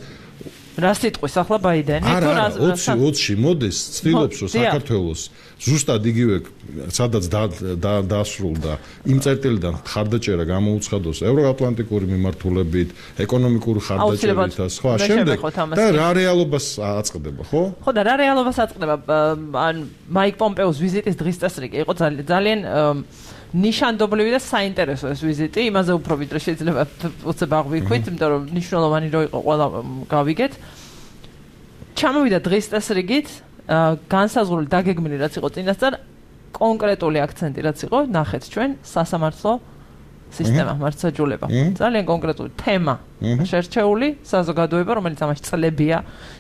რა სიტყვის ახლა ბაიდენი? არა, ოცი ოცში მოდის, ცდილობს რომ საქართველოს ზუსტად იგივე სადაც დაასრულდა იმ წერტილიდან ხარდაჭერა გამოუცხადოს ევროატლანტიკური მიმართულებით, ეკონომიკური ხარდაჭერით და სხვა შემდეგ და რა რეალობას აწყდება, ხო? ხო და რა რეალობას აწყდება? ან მაიკ პომპეოს ვიზიტის დღის წესრიგი იყო ძალიან ნიშანდობლივი და საინტერესო ეს ვიზიტი, იმაზე უფრო ვიდრე შეიძლება უცებ აღვიქვით, იმიტომ რომ ნიშნულოვანი რო იყო ყველა გავიგეთ. ჩამოვიდა დღის წესრიგით, განსაზღვრული დაგეგმილი რაც იყო წინასწარ, კონკრეტული აქცენტი რაც იყო, ნახეთ ჩვენ სასამართლო სისტემა, მართლმსაჯულება. ძალიან კონკრეტული თემა შერჩეული, საზოგადოება, რომელიც ამაში წლებია,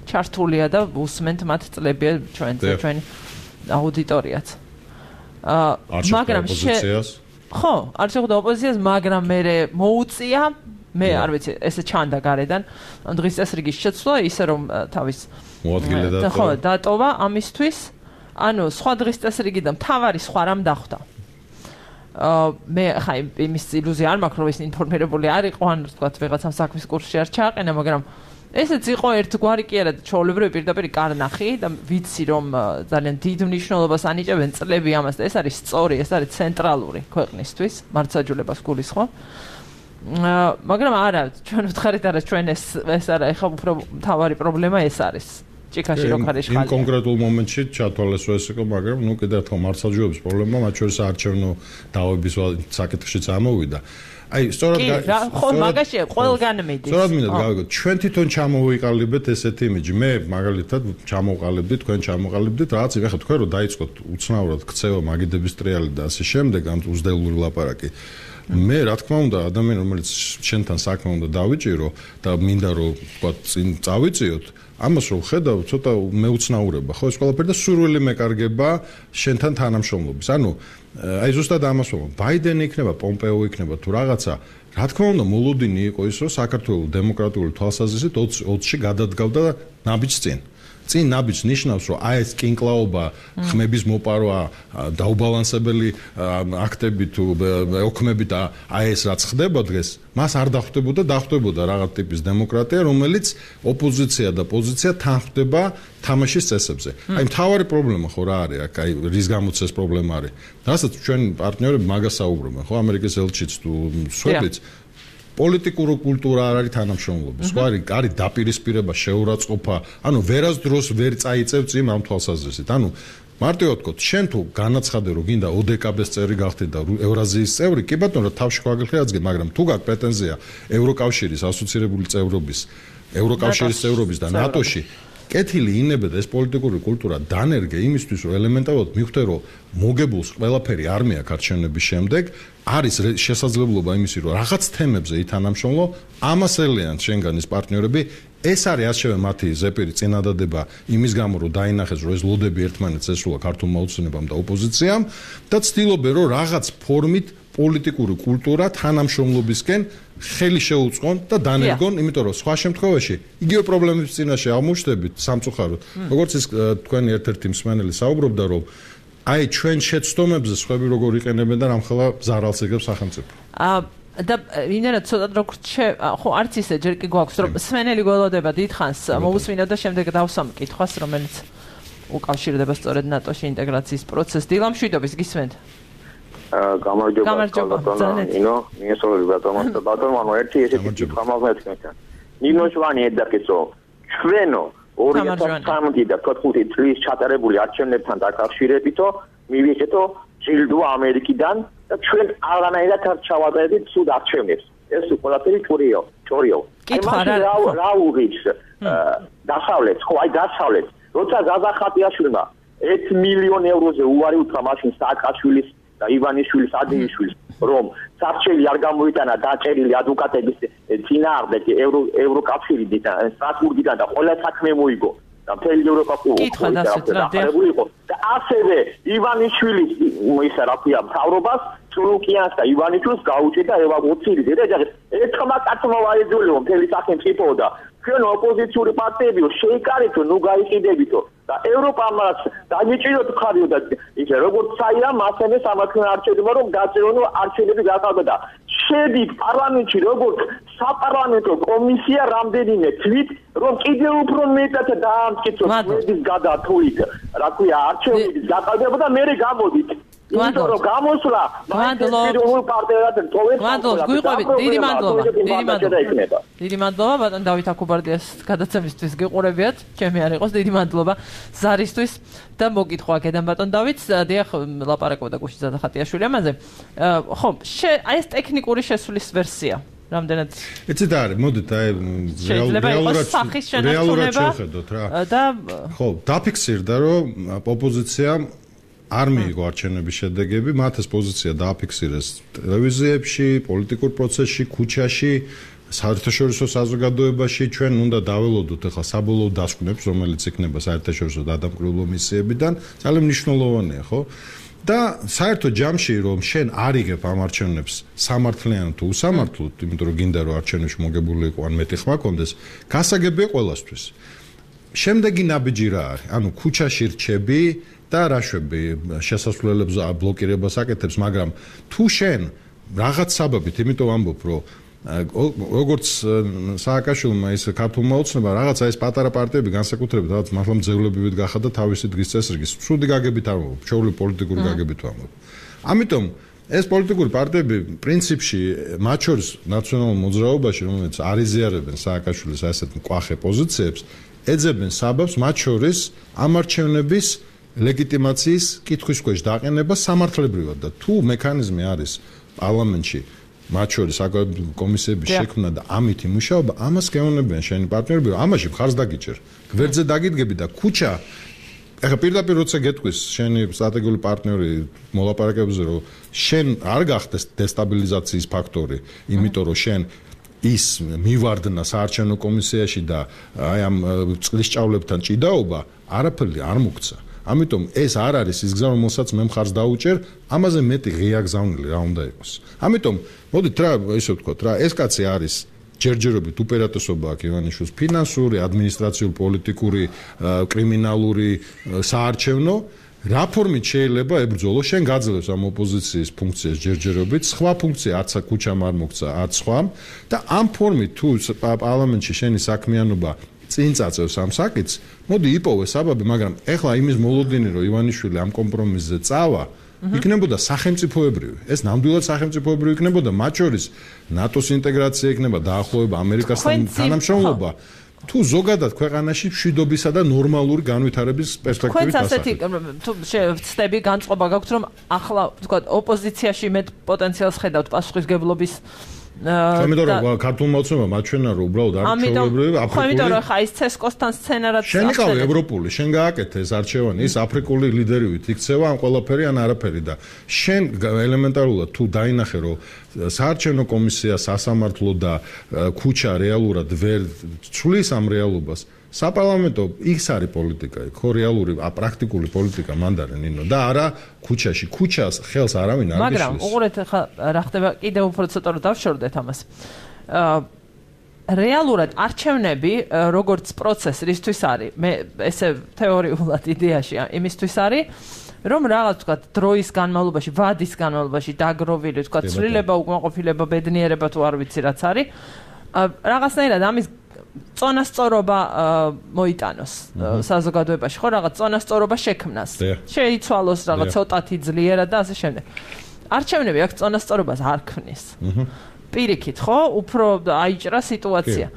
ჩართულია და უსმენთ მათ წლებია ჩვენც ჩვენი აუდიტორიაც. მაგრამ ხო, არ შეხვდა ოპოზიციას, მაგრამ მე მოუწია, მე არ ვიცი, ესე ჩანდა გარედან დღის წესრიგის შეცვლა, ისე რომ თავის მოადგილე და ხო, დატოვა ამისთვის, ანუ სხვა დღის წესრიგი და მთავარი სხვა რამ დახვდა. მე ხა იმის ილუზია არ მაქვს, რომ ის ინფორმირებული არ იყო, ან ვთქვათ, ვიღაცამ საქმის კურსში არ ჩააყენა, მაგრამ ესეც იყო ერთგვარი კი არა ჩვეულებრივი პირდაპირ კარნახი და ვიცი რომ ძალიან დიდ მნიშვნელობას ანიჭებენ წლები ამას და ეს არის სწორი, ეს არის ცენტრალური ქვეყნისთვის, მართლმსაჯულებას გულისხმობ. მაგრამ არა, ჩვენ ვთხარით არა ჩვენ ეს ეს არა, ეხლა უფრო მთავარი პრობლემა ეს არის. ჭიქაში რო ხარ იშხალი. იმ კონკრეტულ მომენტში ჩათვალეს ეს იყო, მაგრამ ნუ კიდევ ერთხელ მართლმსაჯულების პრობლემა, მათ შორის საარჩევნო დავების საკითხშიც ამოვიდა. აი, სწორად ხო, მაგაში ყველგან მიდის. სწორად მინდა გავიგოთ, ჩვენ თვითონ ჩამოვიყალიბეთ ესეთი იმიჯი. მე მაგალითად ჩამოვყალიბდი, თქვენ ჩამოვყალიბდით, რაღაც ეხლა თქვენ რომ დაიწყოთ უცნაურად ქცევა მაგიდების ტრიალი და ასე შემდეგ, ამ უზდელური ლაპარაკი. მე რა თქმა უნდა, ადამიანი რომელიც შენთან საქმე უნდა დავიჭირო და მინდა რომ თქვა წინ წავიწიოთ, ამას რომ ხედავ, ცოტა მეუცნაურება, ხო, ეს ყველაფერი და სურვილი მეკარგება შენთან თანამშრომლობის. ანუ აი ზუსტად ამას ვამბობ, ბაიდენი იქნება, პომპეო იქნება თუ რაღაცა, რა თქმა უნდა, მოლოდინი იყო ის, რომ საქართველოს დემოკრატიული თვალსაზრისით ოცში გადადგავდა ნაბიჯს წინ. წინ ნაბიჯს ნიშნავს, რომ აი ეს კინკლაობა, ხმების მოპარვა, დაუბალანსებელი აქტები თუ ოქმები და აი ეს რაც ხდება დღეს, მას არ დახვდებოდა, დახვდებოდა რაღაც ტიპის დემოკრატია, რომელიც ოპოზიცია და პოზიცია თან ხვდება თამაშის წესებზე. აი მთავარი პრობლემა ხო რა არის აქ, აი რის გამოც ეს პრობლემა არის. რასაც ჩვენ პარტნიორები მაგას საუბრობენ, ხო, ამერიკის ელჩიც თუ სვედიც პოლიტიკური კულტურა არ არის თანამშრომლობის. ხო არის, არის დაპირისპირება, შეურაცხყოფა, ანუ ვერასდროს ვერ წაიწევ წინ ამ თვალსაზრისით. ანუ მარტივად ვთქვათ, შენ თუ განაცხადე რომ გინდა ოდეკაბეს წევრი გახდე და ევრაზიის წევრი, კი ბატონო, თავში გვაგიხდი აძგე, მაგრამ თუ გაქვს პრეტენზია ევროკავშირის ასოცირებული წევრობის, ევროკავშირის წევრობის და ნატოში კეთილი ინებდა ეს პოლიტიკური კულტურა დანერგე იმისთვის რომ ელემენტარულად მივხვდე რომ მოგებულს ყველაფერი არ მეაქვს არჩევნების შემდეგ არის შესაძლებლობა იმისი რომ რაღაც თემებზე ითანამშრომლო ამას ელიან შენგან ის პარტნიორები ეს არის ასევე მათი ზეპირი წინადადება იმის გამო რომ დაინახეს რომ ეს ლოდები ერთმანეთს ესრულა ქართულმა ოცნებამ და ოპოზიციამ და ცდილობენ რომ რაღაც ფორმით პოლიტიკური კულტურა თანამშრომლობისკენ ხელი შეუწყონ და დანერგონ, იმიტომ რომ სხვა შემთხვევაში იგივე პრობლემების წინაშე აღმოჩნდებით სამწუხაროდ. როგორც ის თქვენი ერთ-ერთი მსმენელი საუბრობდა, რომ აი ჩვენ შეცდომებზე სხვები როგორ იყენებენ და რამხელა ზარალს იგებს სახელმწიფო. აა და ინერა ცოტა როგორ ხო არც ისე ჯერ კი გვაქვს რომ მსმენელი გველოდება დიდხანს მოусმინოთ და შემდეგ დავსვამ კითხვას, რომელიც უკავშირდება სწორედ ნატოში ინტეგრაციის პროცესს. დილამშვიდობის გისმენთ? გამარჯობა ბატონო ნინო მიესწრები ბატონო ბატონო ანუ ერთი ესეთი კითხვა მაქვს თქვენთან ნინო შვანი ედაკეცო ჩვენო ორი ათას სამოცი და თხუთმეტი წლის ჩატარებული არჩევნებთან დაკავშირებითო მივიღეთო ჯილდო ამერიკიდან და ჩვენ არანაირად არ ჩავატარებთ სულ არჩევნებს ეს ყველაფერი ჭორიო ჭორიო რა რა უღის დასავლეთ ხო აი დასავლეთ როცა ზაზახატიაშვილმა ერთი მილიონი ევროზე უარი უთხრა მაშინ სააკაშვილის და ივანიშვილის ადეიშვილის რომ საარჩელი არ გამოიტანა დაჭერილი ადვოკატების წინააღმდეგ ევრო ევროკავშირიდან და სტრასბურგიდან და ყველა საქმე მოიგო და მთელი ევროპა იყო და ასევე ივანიშვილის ისა რა ქვია მთავრობას სულუკიანს და ივანიშვილს გაუჭირდა ევაკუაცირი და ერთხმა კაცმა ვაეძულიო მთელი სახელმწიფო და ჩვენ ოპოზიციური პარტიები შეიკარეთო ნუ გაიყიდებითო და ევროპამაც დაგიჭიროთ ხარიო და ისე როგორც საიამ ასევე სამართლიან არჩევნებმა რომ გაწერონო არჩევნები გაკავდა შედით პარლამენტში როგორც საპარლამენტო კომისია რამდენიმე თვით რომ კიდევ უფრო მეტად დაამტკიცოს შედის გადათვლით რა ქვია არჩევნების გაკავება და მე გამოდით იმიტომ რომ გამოსვლა მადლობა პარტიად თოვეთ მადლობა გვიყვებით დიდი მადლობა დიდი მადლობა დიდი მადლობა ბატონ დავით აქუბარდიას გადაცემისთვის გიყურებიათ ჩემი არ იყოს დიდი მადლობა ზარისთვის და მოგითხვა აქედან ბატონ დავითს დიახ ლაპარაკობდა გუშინ ზადახატიაშვილი ამაზე ხო აი ეს ტექნიკური შესვლის ვერსია რამდენად იცით არის მოდით აი რეალურად რეალურად შევხედოთ რა და ხო დაფიქსირდა რომ ოპოზიცია არ მიიღო არჩევნების შედეგები, მათ ეს პოზიცია დააფიქსირეს ტელევიზიებში, პოლიტიკურ პროცესში, ქუჩაში, საერთაშორისო საზოგადოებაში, ჩვენ უნდა დაველოდოთ ახლა საბოლოო დასკვნებს, რომელიც იქნება საერთაშორისო დადამკვირვებლო მისიებიდან, ძალიან მნიშვნელოვანია, ხო? და საერთო ჯამში რომ შენ არ იღებ ამ არჩევნებს სამართლიანად თუ უსამართლოდ, იმიტომ რომ გინდა რომ არჩევნებში მოგებული იყო ან მეტი ხმა კონდეს, გასაგებია ყველასთვის. შემდეგი ნაბიჯი რა არის? ანუ ქუჩაში რჩები და რაშვები შესასვლელებს ბლოკირებას აკეთებს, მაგრამ თუ შენ რაღაც საბაბით, იმიტომ ვამბობ, რომ როგორც სააკაშვილმა ის ქართულმა ოცნება რაღაცა ეს პატარა პარტიები განსაკუთრებით რაღაც მართლა მძევლებივით გახადა თავისი დღის წესრიგის სრული გაგებით არ მოვა ჩვეული პოლიტიკური გაგებით ვამბობ ამიტომ ეს პოლიტიკური პარტიები პრინციპში მათ შორის ნაციონალურ მოძრაობაში რომელიც არ იზიარებენ სააკაშვილის ასეთ მკვახე პოზიციებს ეძებენ საბაბს მათ შორის ამარჩევნების ლეგიტიმაციის კითხვის ქვეშ დაყენება სამართლებრივად და თუ მექანიზმი არის პარლამენტში მათ შორის კომისიების შექმნა და ამით იმუშაობა ამას გეუბნებიან შენი პარტნიორები რომ ამაში მხარს დაგიჭერ გვერდზე დაგიდგები და ქუჩა ეხა პირდაპირ როცა გეტყვის შენი სტრატეგიული პარტნიორი მოლაპარაკებებზე რომ შენ არ გახდეს დესტაბილიზაციის ფაქტორი იმიტომ რომ შენ ის მივარდნა საარჩევნო კომისიაში და აი ამ წყლის ჭავლებთან ჭიდაობა არაფერი არ მოგცა ამიტომ ეს არ არის ის გზა რომელსაც მე მხარს დაუჭერ ამაზე მეტი ღია გზავნილი რა უნდა იყოს ამიტომ მოდით რა ისე ვთქვათ რა ეს კაცი არის ჯერჯერობით უპირატესობა აქვს ივანიშვილს ფინანსური ადმინისტრაციული პოლიტიკური კრიმინალური საარჩევნო რა ფორმით შეიძლება ებრძოლო შენ გაძლევს ამ ოპოზიციის ფუნქციას ჯერჯერობით სხვა ფუნქცია არც ქუჩამ არ მოგცა არც სხვამ და ამ ფორმით თუ პარლამენტში შენი საქმიანობა წინ წაწევს ამ საკითხს მოდი იპოვე საბაბი მაგრამ ეხლა იმის მოლოდინი რომ ივანიშვილი ამ კომპრომისზე წავა იქნებოდა სახელმწიფოებრივი ეს ნამდვილად სახელმწიფოებრივი იქნებოდა მათ შორის ნატოს ინტეგრაცია იქნება დაახლოება ამერიკასთან თანამშრომლობა თუ ზოგადად ქვეყანაში მშვიდობისა და ნორმალური განვითარების პერსპექტივით ასეთი თუ ვცდები განწყობა გაქვთ რომ ახლა თქვა ოპოზიციაში მეტ პოტენციალს ხედავთ პასუხისგებლობის ამიტომ რომ ქართულმა ოცნებამ მაჩვენა რომ უბრალოდ არ ჩვეულებრივი აფრიკული ამიტომ რომ ხა ის ცესკოსთან სცენარად შენ იყავი ევროპული შენ გააკეთე ეს არჩევანი ის აფრიკული ლიდერივით იქცევა ან ყველაფერი ან არაფერი და შენ ელემენტარულად თუ დაინახე რომ საარჩევნო კომისია სასამართლო და ქუჩა რეალურად ვერ ცვლის ამ რეალობას საპარლამენტო ის არის პოლიტიკა ხო რეალური პრაქტიკული პოლიტიკა მანდარი ნინო და არა ქუჩაში ქუჩას ხელს არავინ არ გიშლის მაგრამ უყურეთ ხა რა ხდება კიდევ უფრო ცოტა რომ დავშორდეთ ამას რეალურად არჩევნები როგორც პროცესი რისთვის არის მე ესე თეორიულად იდეაში იმისთვის არის რომ რაღაც თქვა დროის განმავლობაში ვადის განმავლობაში დაგროვილი თქვა ცვლილება უკმაყოფილება ბედნიერება თუ არ ვიცი რაც არის რაღაცნაირად ამის წონასწორობა მოიტანოს საზოგადოებაში ხო რაღაც წონასწორობა შექმნას შეიცვალოს რაღაც ცოტათი ძლიერად და ასე შემდეგ არჩევნები აქ წონასწორობას არ ქმნის პირიქით ხო უფრო აიჭრა სიტუაცია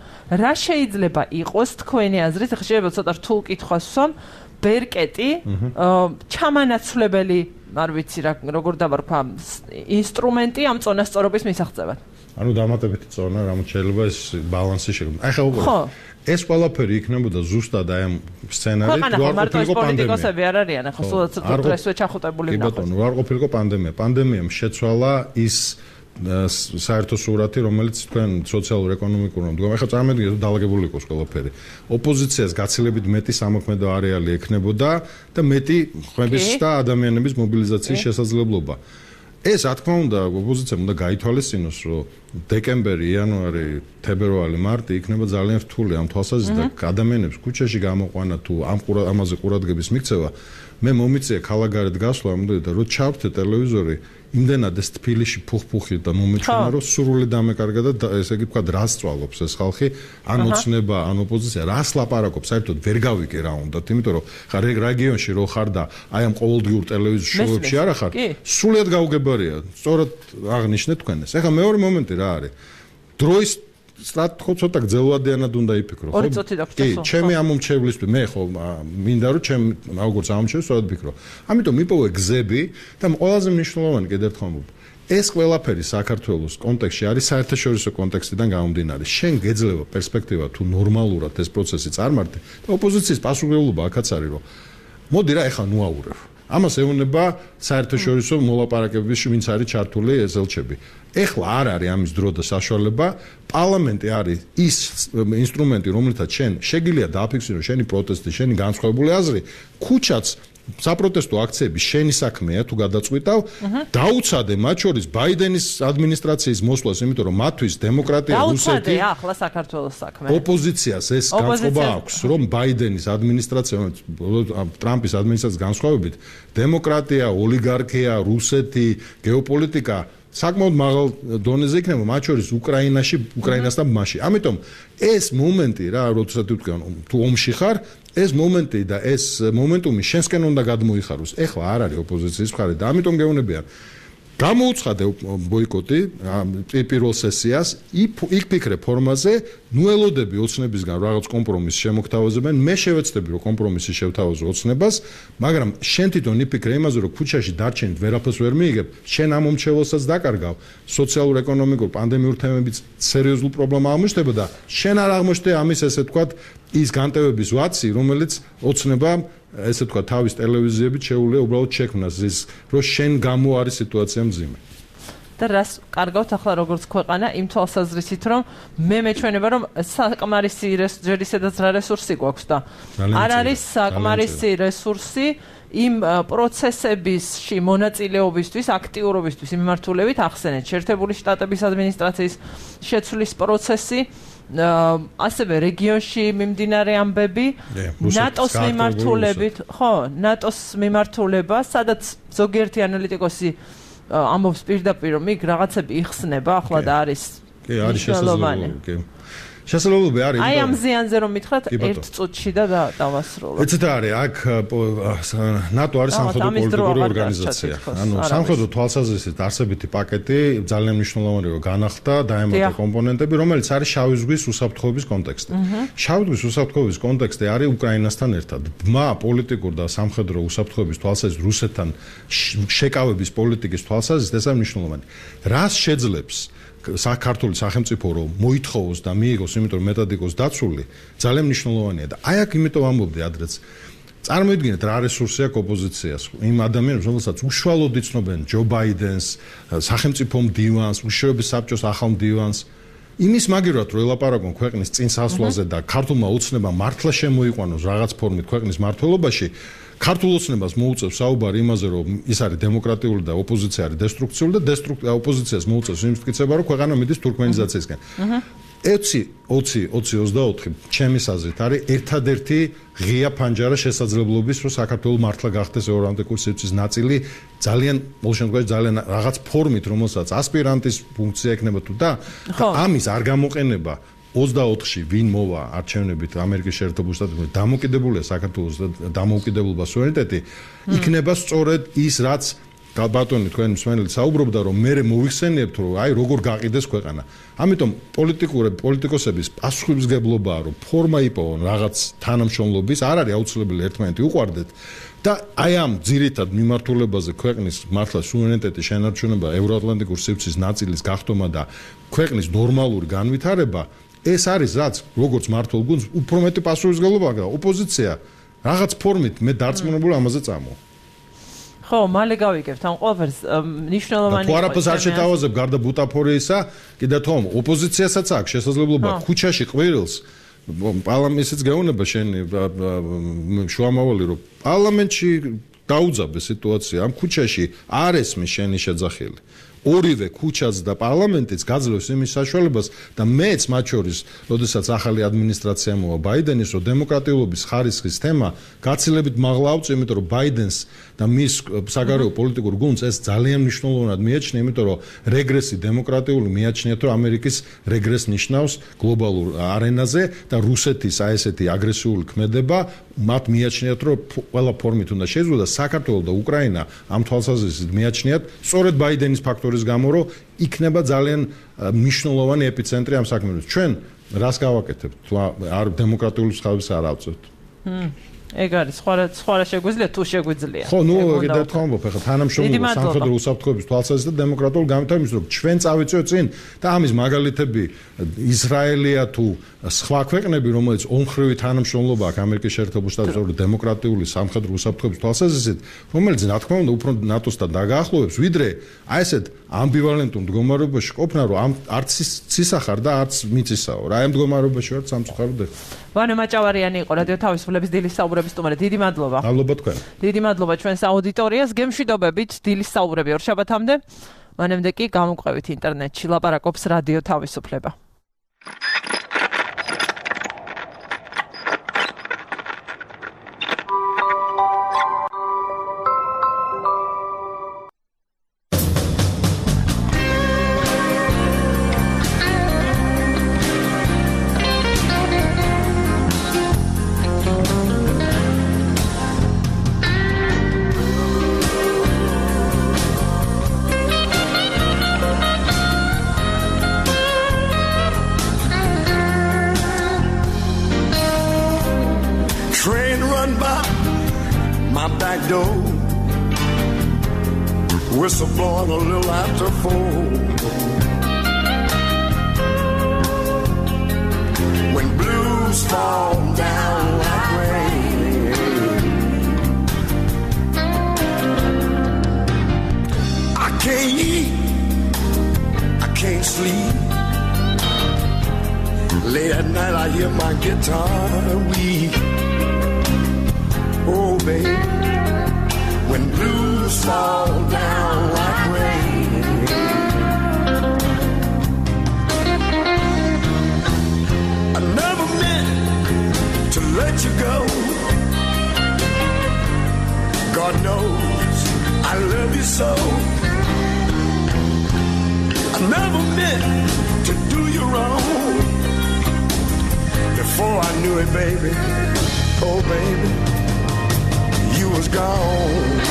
რა შეიძლება იყოს თქვენი აზრით ხა შეიძლება ცოტა რთულ კითხვას ვსვამ ბერკეტი ჩამანაცვლებელი არ ვიცი რა როგორ დავარქვა ინსტრუმენტი ამ წონასწორობის მისაღწევად ანუ დამატებითი წონა რამოთ შეიძლება ეს ბალანსი შექმნა. აი ხა უყურე. ეს ყველაფერი იქნებოდა ზუსტად აი ამ სცენარით რო არ ყოფილიყო პოლიტიკოსები არ არიან ახლა სულ ცოტა პრესვე ჩახუტებული ნახოს. კი ბატონო, რო არ ყოფილიყო პანდემია. პანდემიამ შეცვალა ის საერთო სურათი, რომელიც თქვენ სოციალურ-ეკონომიკურ მდგომარეობაში ახლა წარმოვიდგინეთ რომ დაალაგებული იყოს ყველაფერი. ოპოზიციას გაცილებით მეტი სამოქმედო არეალი ექნებოდა და მეტი ხმების და ადამიანების მობილიზაციის შესაძლებლობა. ეს რა თქმა უნდა ოპოზიციამ უნდა გაითვალისწინოს რომ დეკემბერი, იანვარი, თებერვალი, მარტი იქნება ძალიან რთული ამ თვალსაზრისით და ადამიანებს ქუჩაში გამოყვანა თუ ამ ამაზე ყურადღების მიქცევა მე მომიწია ქალაქგარეთ გასვლა ამბობდი და რო ჩავთე ტელევიზორი იმდენად ეს თბილისში ფუხ-ფუხი და მომეჩვენა რომ სრული დამეკარგა და ესე იგი თქვა რას წვალობს ეს ხალხი ან ოცნება ან ოპოზიცია რას ლაპარაკობს საერთოდ ვერ გავიგე რა უნდათ იმიტომ რომ ხა რეგიონში რო ხარ და აი ამ ყოველდღიურ ტელევიზორ შოუებში არა ხარ სრულად გაუგებარია სწორად აღნიშნეთ თქვენ ეს ეხლა მეორე მომენტი რა არის დროის სტრატეგიულად ცოტა გძელვადიანად უნდა იფიქრო ხო? ორი წუთი დაგჭირს. კი, ჩემი ამომრჩევლისთვის მე ხო მინდა რომ ჩემ როგორც ამომრჩევს სწორად ვფიქრო. ამიტომ იპოვე გზები და ყველაზე მნიშვნელოვანი კიდევ ერთხელ ვამბობ. ეს ყველაფერი საქართველოს კონტექსტში არის საერთაშორისო კონტექსტიდან გამომდინარე. შენ გეძლევა პერსპექტივა თუ ნორმალურად ეს პროცესი წარმართე და ოპოზიციის პასუხისმგებლობა აქაც არის რომ მოდი რა ეხლა ნუაურევ. ამას ეუბნება საერთაშორისო მოლაპარაკებების ვინც არის ჩართული ეზელჩები. ეხლა არ არის ამის დრო და საშუალება. პარლამენტი არის ის ინსტრუმენტი, რომელთაც შენ შეგიძლია დააფიქსირო შენი პროტესტი, შენი განსხვავებული აზრი, ქუჩაც საპროტესტო აქციები შენი საქმეა თუ გადაწყვიტავ, დაუცადე მათ შორის ბაიდენის ადმინისტრაციის მოსვლას, იმიტომ რომ მათთვის დემოკრატია რუსეთი დაუცადე ახლა საქართველოს საქმე. ოპოზიციას ეს განწყობა აქვს, რომ ბაიდენის ადმინისტრაცია, ტრამპის ადმინისტრაციის განსხვავებით, დემოკრატია, ოლიგარქია, რუსეთი, გეოპოლიტიკა საკმაოდ მაღალ დონეზე იქნება, მათ შორის უკრაინაში, უკრაინასთან მასში. ამიტომ ეს მომენტი რა, როდესაც თქვენ თუ ომში ხარ, ეს მომენტი და ეს მომენტუმი შენსკენ უნდა გადმოიხაროს. ეხლა არ არის ოპოზიციის მხარე და ამიტომ გეუბნებიან გამოუცხადე ბოიკოტი პირველ სესიას, იქ ფიქრე ფორმაზე, ნუ ელოდები ოცნებისგან რაღაც კომპრომისს შემოგთავაზებენ, მე შევეცდები რომ კომპრომისი შევთავაზო ოცნებას, მაგრამ შენ თვითონ იფიქრე იმაზე რომ ქუჩაში დარჩენით ვერაფერს ვერ მიიღებ, შენ ამ მომჩეველსაც დაკარგავ, სოციალურ-ეკონომიკურ პანდემიურ თემებით სერიოზულ პრობლემა აღმოჩნდება და შენ არ აღმოჩნდა ამის ესე ვთქვათ ის განტევების ვაცი, რომელიც ოცნება ესე თქვა თავის ტელევიზიებით შეუძლია უბრალოდ შექმნას ის რომ შენ გამო არის სიტუაცია მძიმე. და რას კარგავთ ახლა როგორც ქვეყანა იმ თვალსაზრისით რომ მე მეჩვენება რომ საკმარისი ჯერ ისედაც რა რესურსი გვაქვს და არ არის საკმარისი რესურსი იმ პროცესებისში მონაწილეობისთვის, აქტიურობისთვის მიმართულებით ახსენეთ შეერთებული შტატების ადმინისტრაციის შეცვლის პროცესი ასევე რეგიონში მიმდინარე ამბები ნატოს მიმართულებით ხო ნატოს მიმართულება სადაც ზოგიერთი ანალიტიკოსი ამბობს პირდაპირ რომ იქ რაღაცები იხსნება ახლა და არის კი არის შესაძლებელი კი შესაძლებლობა არის აი ამ ზიანზე რომ მითხრათ ერთ წუთში და დავასრულოთ ეცეთ არის აქ ნატო არის სამხედრო პოლიტიკური ორგანიზაცია ანუ სამხედრო თვალსაზრისით არსებითი პაკეტი ძალიან მნიშვნელოვანი რომ განახლდა დაემატა კომპონენტები რომელიც არის შავი ზღვის უსაფრთხოების კონტექსტი შავი ზღვის უსაფრთხოების კონტექსტი არის უკრაინასთან ერთად ბმა პოლიტიკურ და სამხედრო უსაფრთხოების თვალსაზრისით რუსეთთან შეკავების პოლიტიკის თვალსაზრისით ეს არის მნიშვნელოვანი რას შეძლებს საქართველოს სახელმწიფო რომ მოითხოვოს და მიიღოს, იმიტომ რომ მეტად იყოს დაცული, ძალიან მნიშვნელოვანია და აი აქ იმიტომ ამბობდი ადრეც. წარმოიდგინეთ რა რესურსი აქვს ოპოზიციას, იმ ადამიანებს, რომელსაც უშუალოდ იცნობენ ჯო ბაიდენს, სახელმწიფო მდივანს, უშიშროების საბჭოს ახალ მდივანს. იმის მაგივრად რომ ელაპარაკონ ქვეყნის წინსასვლაზე და ქართულმა ოცნებამ მართლა შემოიყვანოს რაღაც ფორმით ქვეყნის მართლობაში ქართულ ოცნებას მოუწევს საუბარი იმაზე რომ ის არის დემოკრატიული და ოპოზიცია არის დესტრუქციული და ოპოზიციას მოუწევს იმის მტკიცება რომ ქვეყანა მიდის თურქმენიზაციისკენ. ოცი ოცი ოცი ოცდაოთხი ჩემის აზრით არის ერთადერთი ღია ფანჯარა შესაძლებლობის რომ საქართველოს მართლა გახდეს ევროატლანტიკური სივრცის ნაწილი ძალიან ყოველ შემთხვევაში ძალიან რაღაც ფორმით რომელსაც ასპირანტის ფუნქცია ექნება თუ და ამის არ გამოყენება ოცდაოთხში ვინ მოვა არჩევნებით ამერიკის შეერთებულ შტატებში დამოუკიდებულია საქართველოს დამოუკიდებლობა სუვერენიტეტი იქნება სწორედ ის რაც ბატონი თქვენ მსმენელი საუბრობდა რომ მე მოვიხსენიებთ რომ აი როგორ გაყიდეს ქვეყანა ამიტომ პოლიტიკური პოლიტიკოსების პასუხისმგებლობაა რომ ფორმა იპოვონ რაღაც თანამშრომლობის არ არის აუცილებელი ერთმანეთი უყვარდეთ და აი ამ ძირითად მიმართულებაზე ქვეყნის მართლა სუვერენიტეტის შენარჩუნება ევროატლანტიკურ სივრცის ნაწილის გახდომა და ქვეყნის ნორმალური განვითარება ეს არის რაც როგორც მართულ გუნდს უფრო მეტი პასუხისმგებლობა აქვს ოპოზიცია რაღაც ფორმით მე დარწმუნებული ამაზე წამო ხო მალე გავიგებთ ამ ყველაფერს ნიშნულოვანი თუ არაფერს არ შეთავაზებ გარდა ბუტაფორიისა კიდე თომ ოპოზიციასაც აქვს შესაძლებლობა ქუჩაში ყვირილს პარლამენტშიც გეუბნება შენი შუამავალი რომ პარლამენტში დაუძაბე სიტუაცია ამ ქუჩაში არ ესმის შენი შეძახილი ორივე ქუჩაც და პარლამენტიც გაძლევს იმის საშუალებას და მეც მათ შორის, როდესაც ახალი ადმინისტრაცია მოვა ბაიდენის, რომ დემოკრატიულობის ხარისხის თემა გაცილებით მაღლა ავწევ, იმიტომ რომ ბაიდენს და მის საგარეო პოლიტიკურ გუნდს ეს ძალიან მნიშვნელოვნად მიაჩნია, იმიტომ რომ რეგრესი დემოკრატიული მიაჩნიათ, რომ ამერიკის რეგრესს ნიშნავს გლობალურ არენაზე და რუსეთის აი ესეთი აგრესიული ქმედება მათ მიაჩნიათ, რომ ყველა ფორმით უნდა შეძლოს და საქართველოს და უკრაინა ამ თვალსაზრისით მიაჩნიათ სწორედ ბაიდენის ფაქტორის გამო, რომ იქნება ძალიან მნიშვნელოვანი ეპიცენტრი ამ საქმეების. ჩვენ რას გავაკეთებთ? თუ არ დემოკრატიული ხალხს არ ავწევთ. ეგ არის სხვა სხვა შეგვიძლია თუ შეგვიძლია. ხო, ნუ კიდევ ერთხელ ამბობ, ახლა თანამშრომლობა სამხედრო უსაფრთხოების თვალსაზრისით და დემოკრატიული განვითარების, რომ ჩვენ წავიწევთ წინ და ამის მაგალითები ისრაელია თუ სხვა ქვეყნები, რომელიც ომხრივი თანამშრომლობა აქვს ამერიკის შეერთებულ შტატებში დემოკრატიული სამხედრო უსაფრთხოების თვალსაზრისით, რომელიც რა თქმა უნდა უფრო ნატოსთან დაგაახლოვებს, ვიდრე აი ესეთ ამბივალენტურ მდგომარეობაში ყოფნა, რომ ამ არც ცისახარ და არც მიწისაო. რა ამ მდგომარეობაში ვართ სამწუხაროდ ახლა. ვანო მაჭავარიანი იყო რადიო თავისუფლების დილის საუბრების სტუმარი. დიდი მადლობა. მადლობა თქვენ. დიდი მადლობა ჩვენს აუდიტორიას. გემშვიდობებით დილის საუბრები ორშაბათამდე. მანამდე კი გამოგვყევით ინტერნეტში ლაპარაკობს რადიო თავისუფლება. door. Whistle blowing a little after four. When blues fall down like rain, I can't eat, I can't sleep. Late at night I hear my guitar weep. Oh baby, when blues fall down like rain, I never meant to let you go. God knows I love you so. I never meant to do you wrong. Before I knew it, baby, oh baby, you was gone.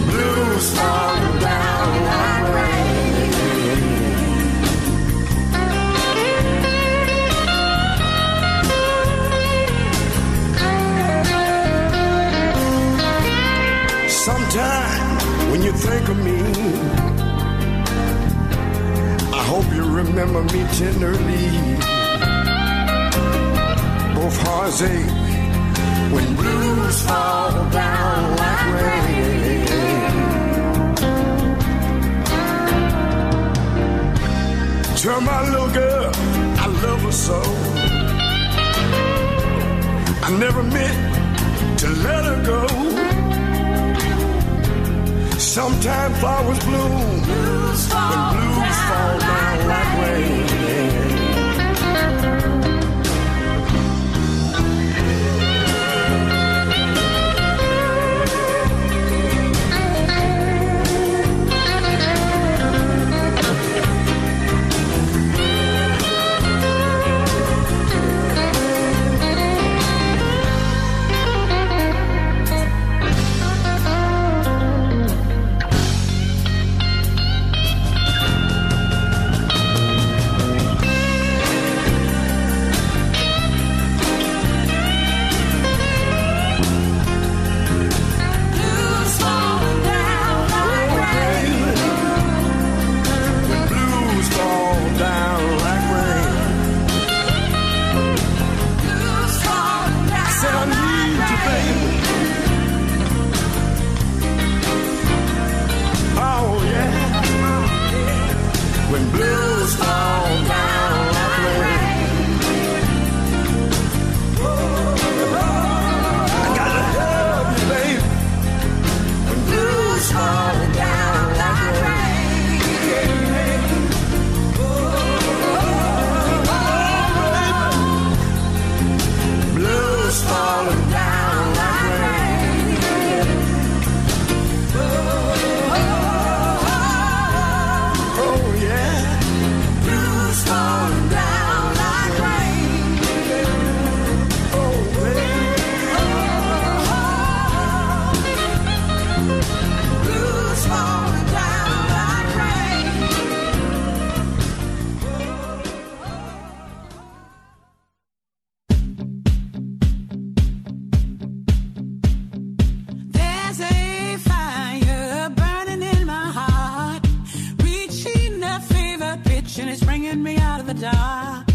Blues fall down like rain. Sometime when you think of me, I hope you remember me tenderly. Both hearts ache when blues fall down like rain. Tell my little girl I love her so. I never meant to let her go. Sometimes flowers bloom blues fall when blues down fall down like rain. And it's bringing me out of the dark.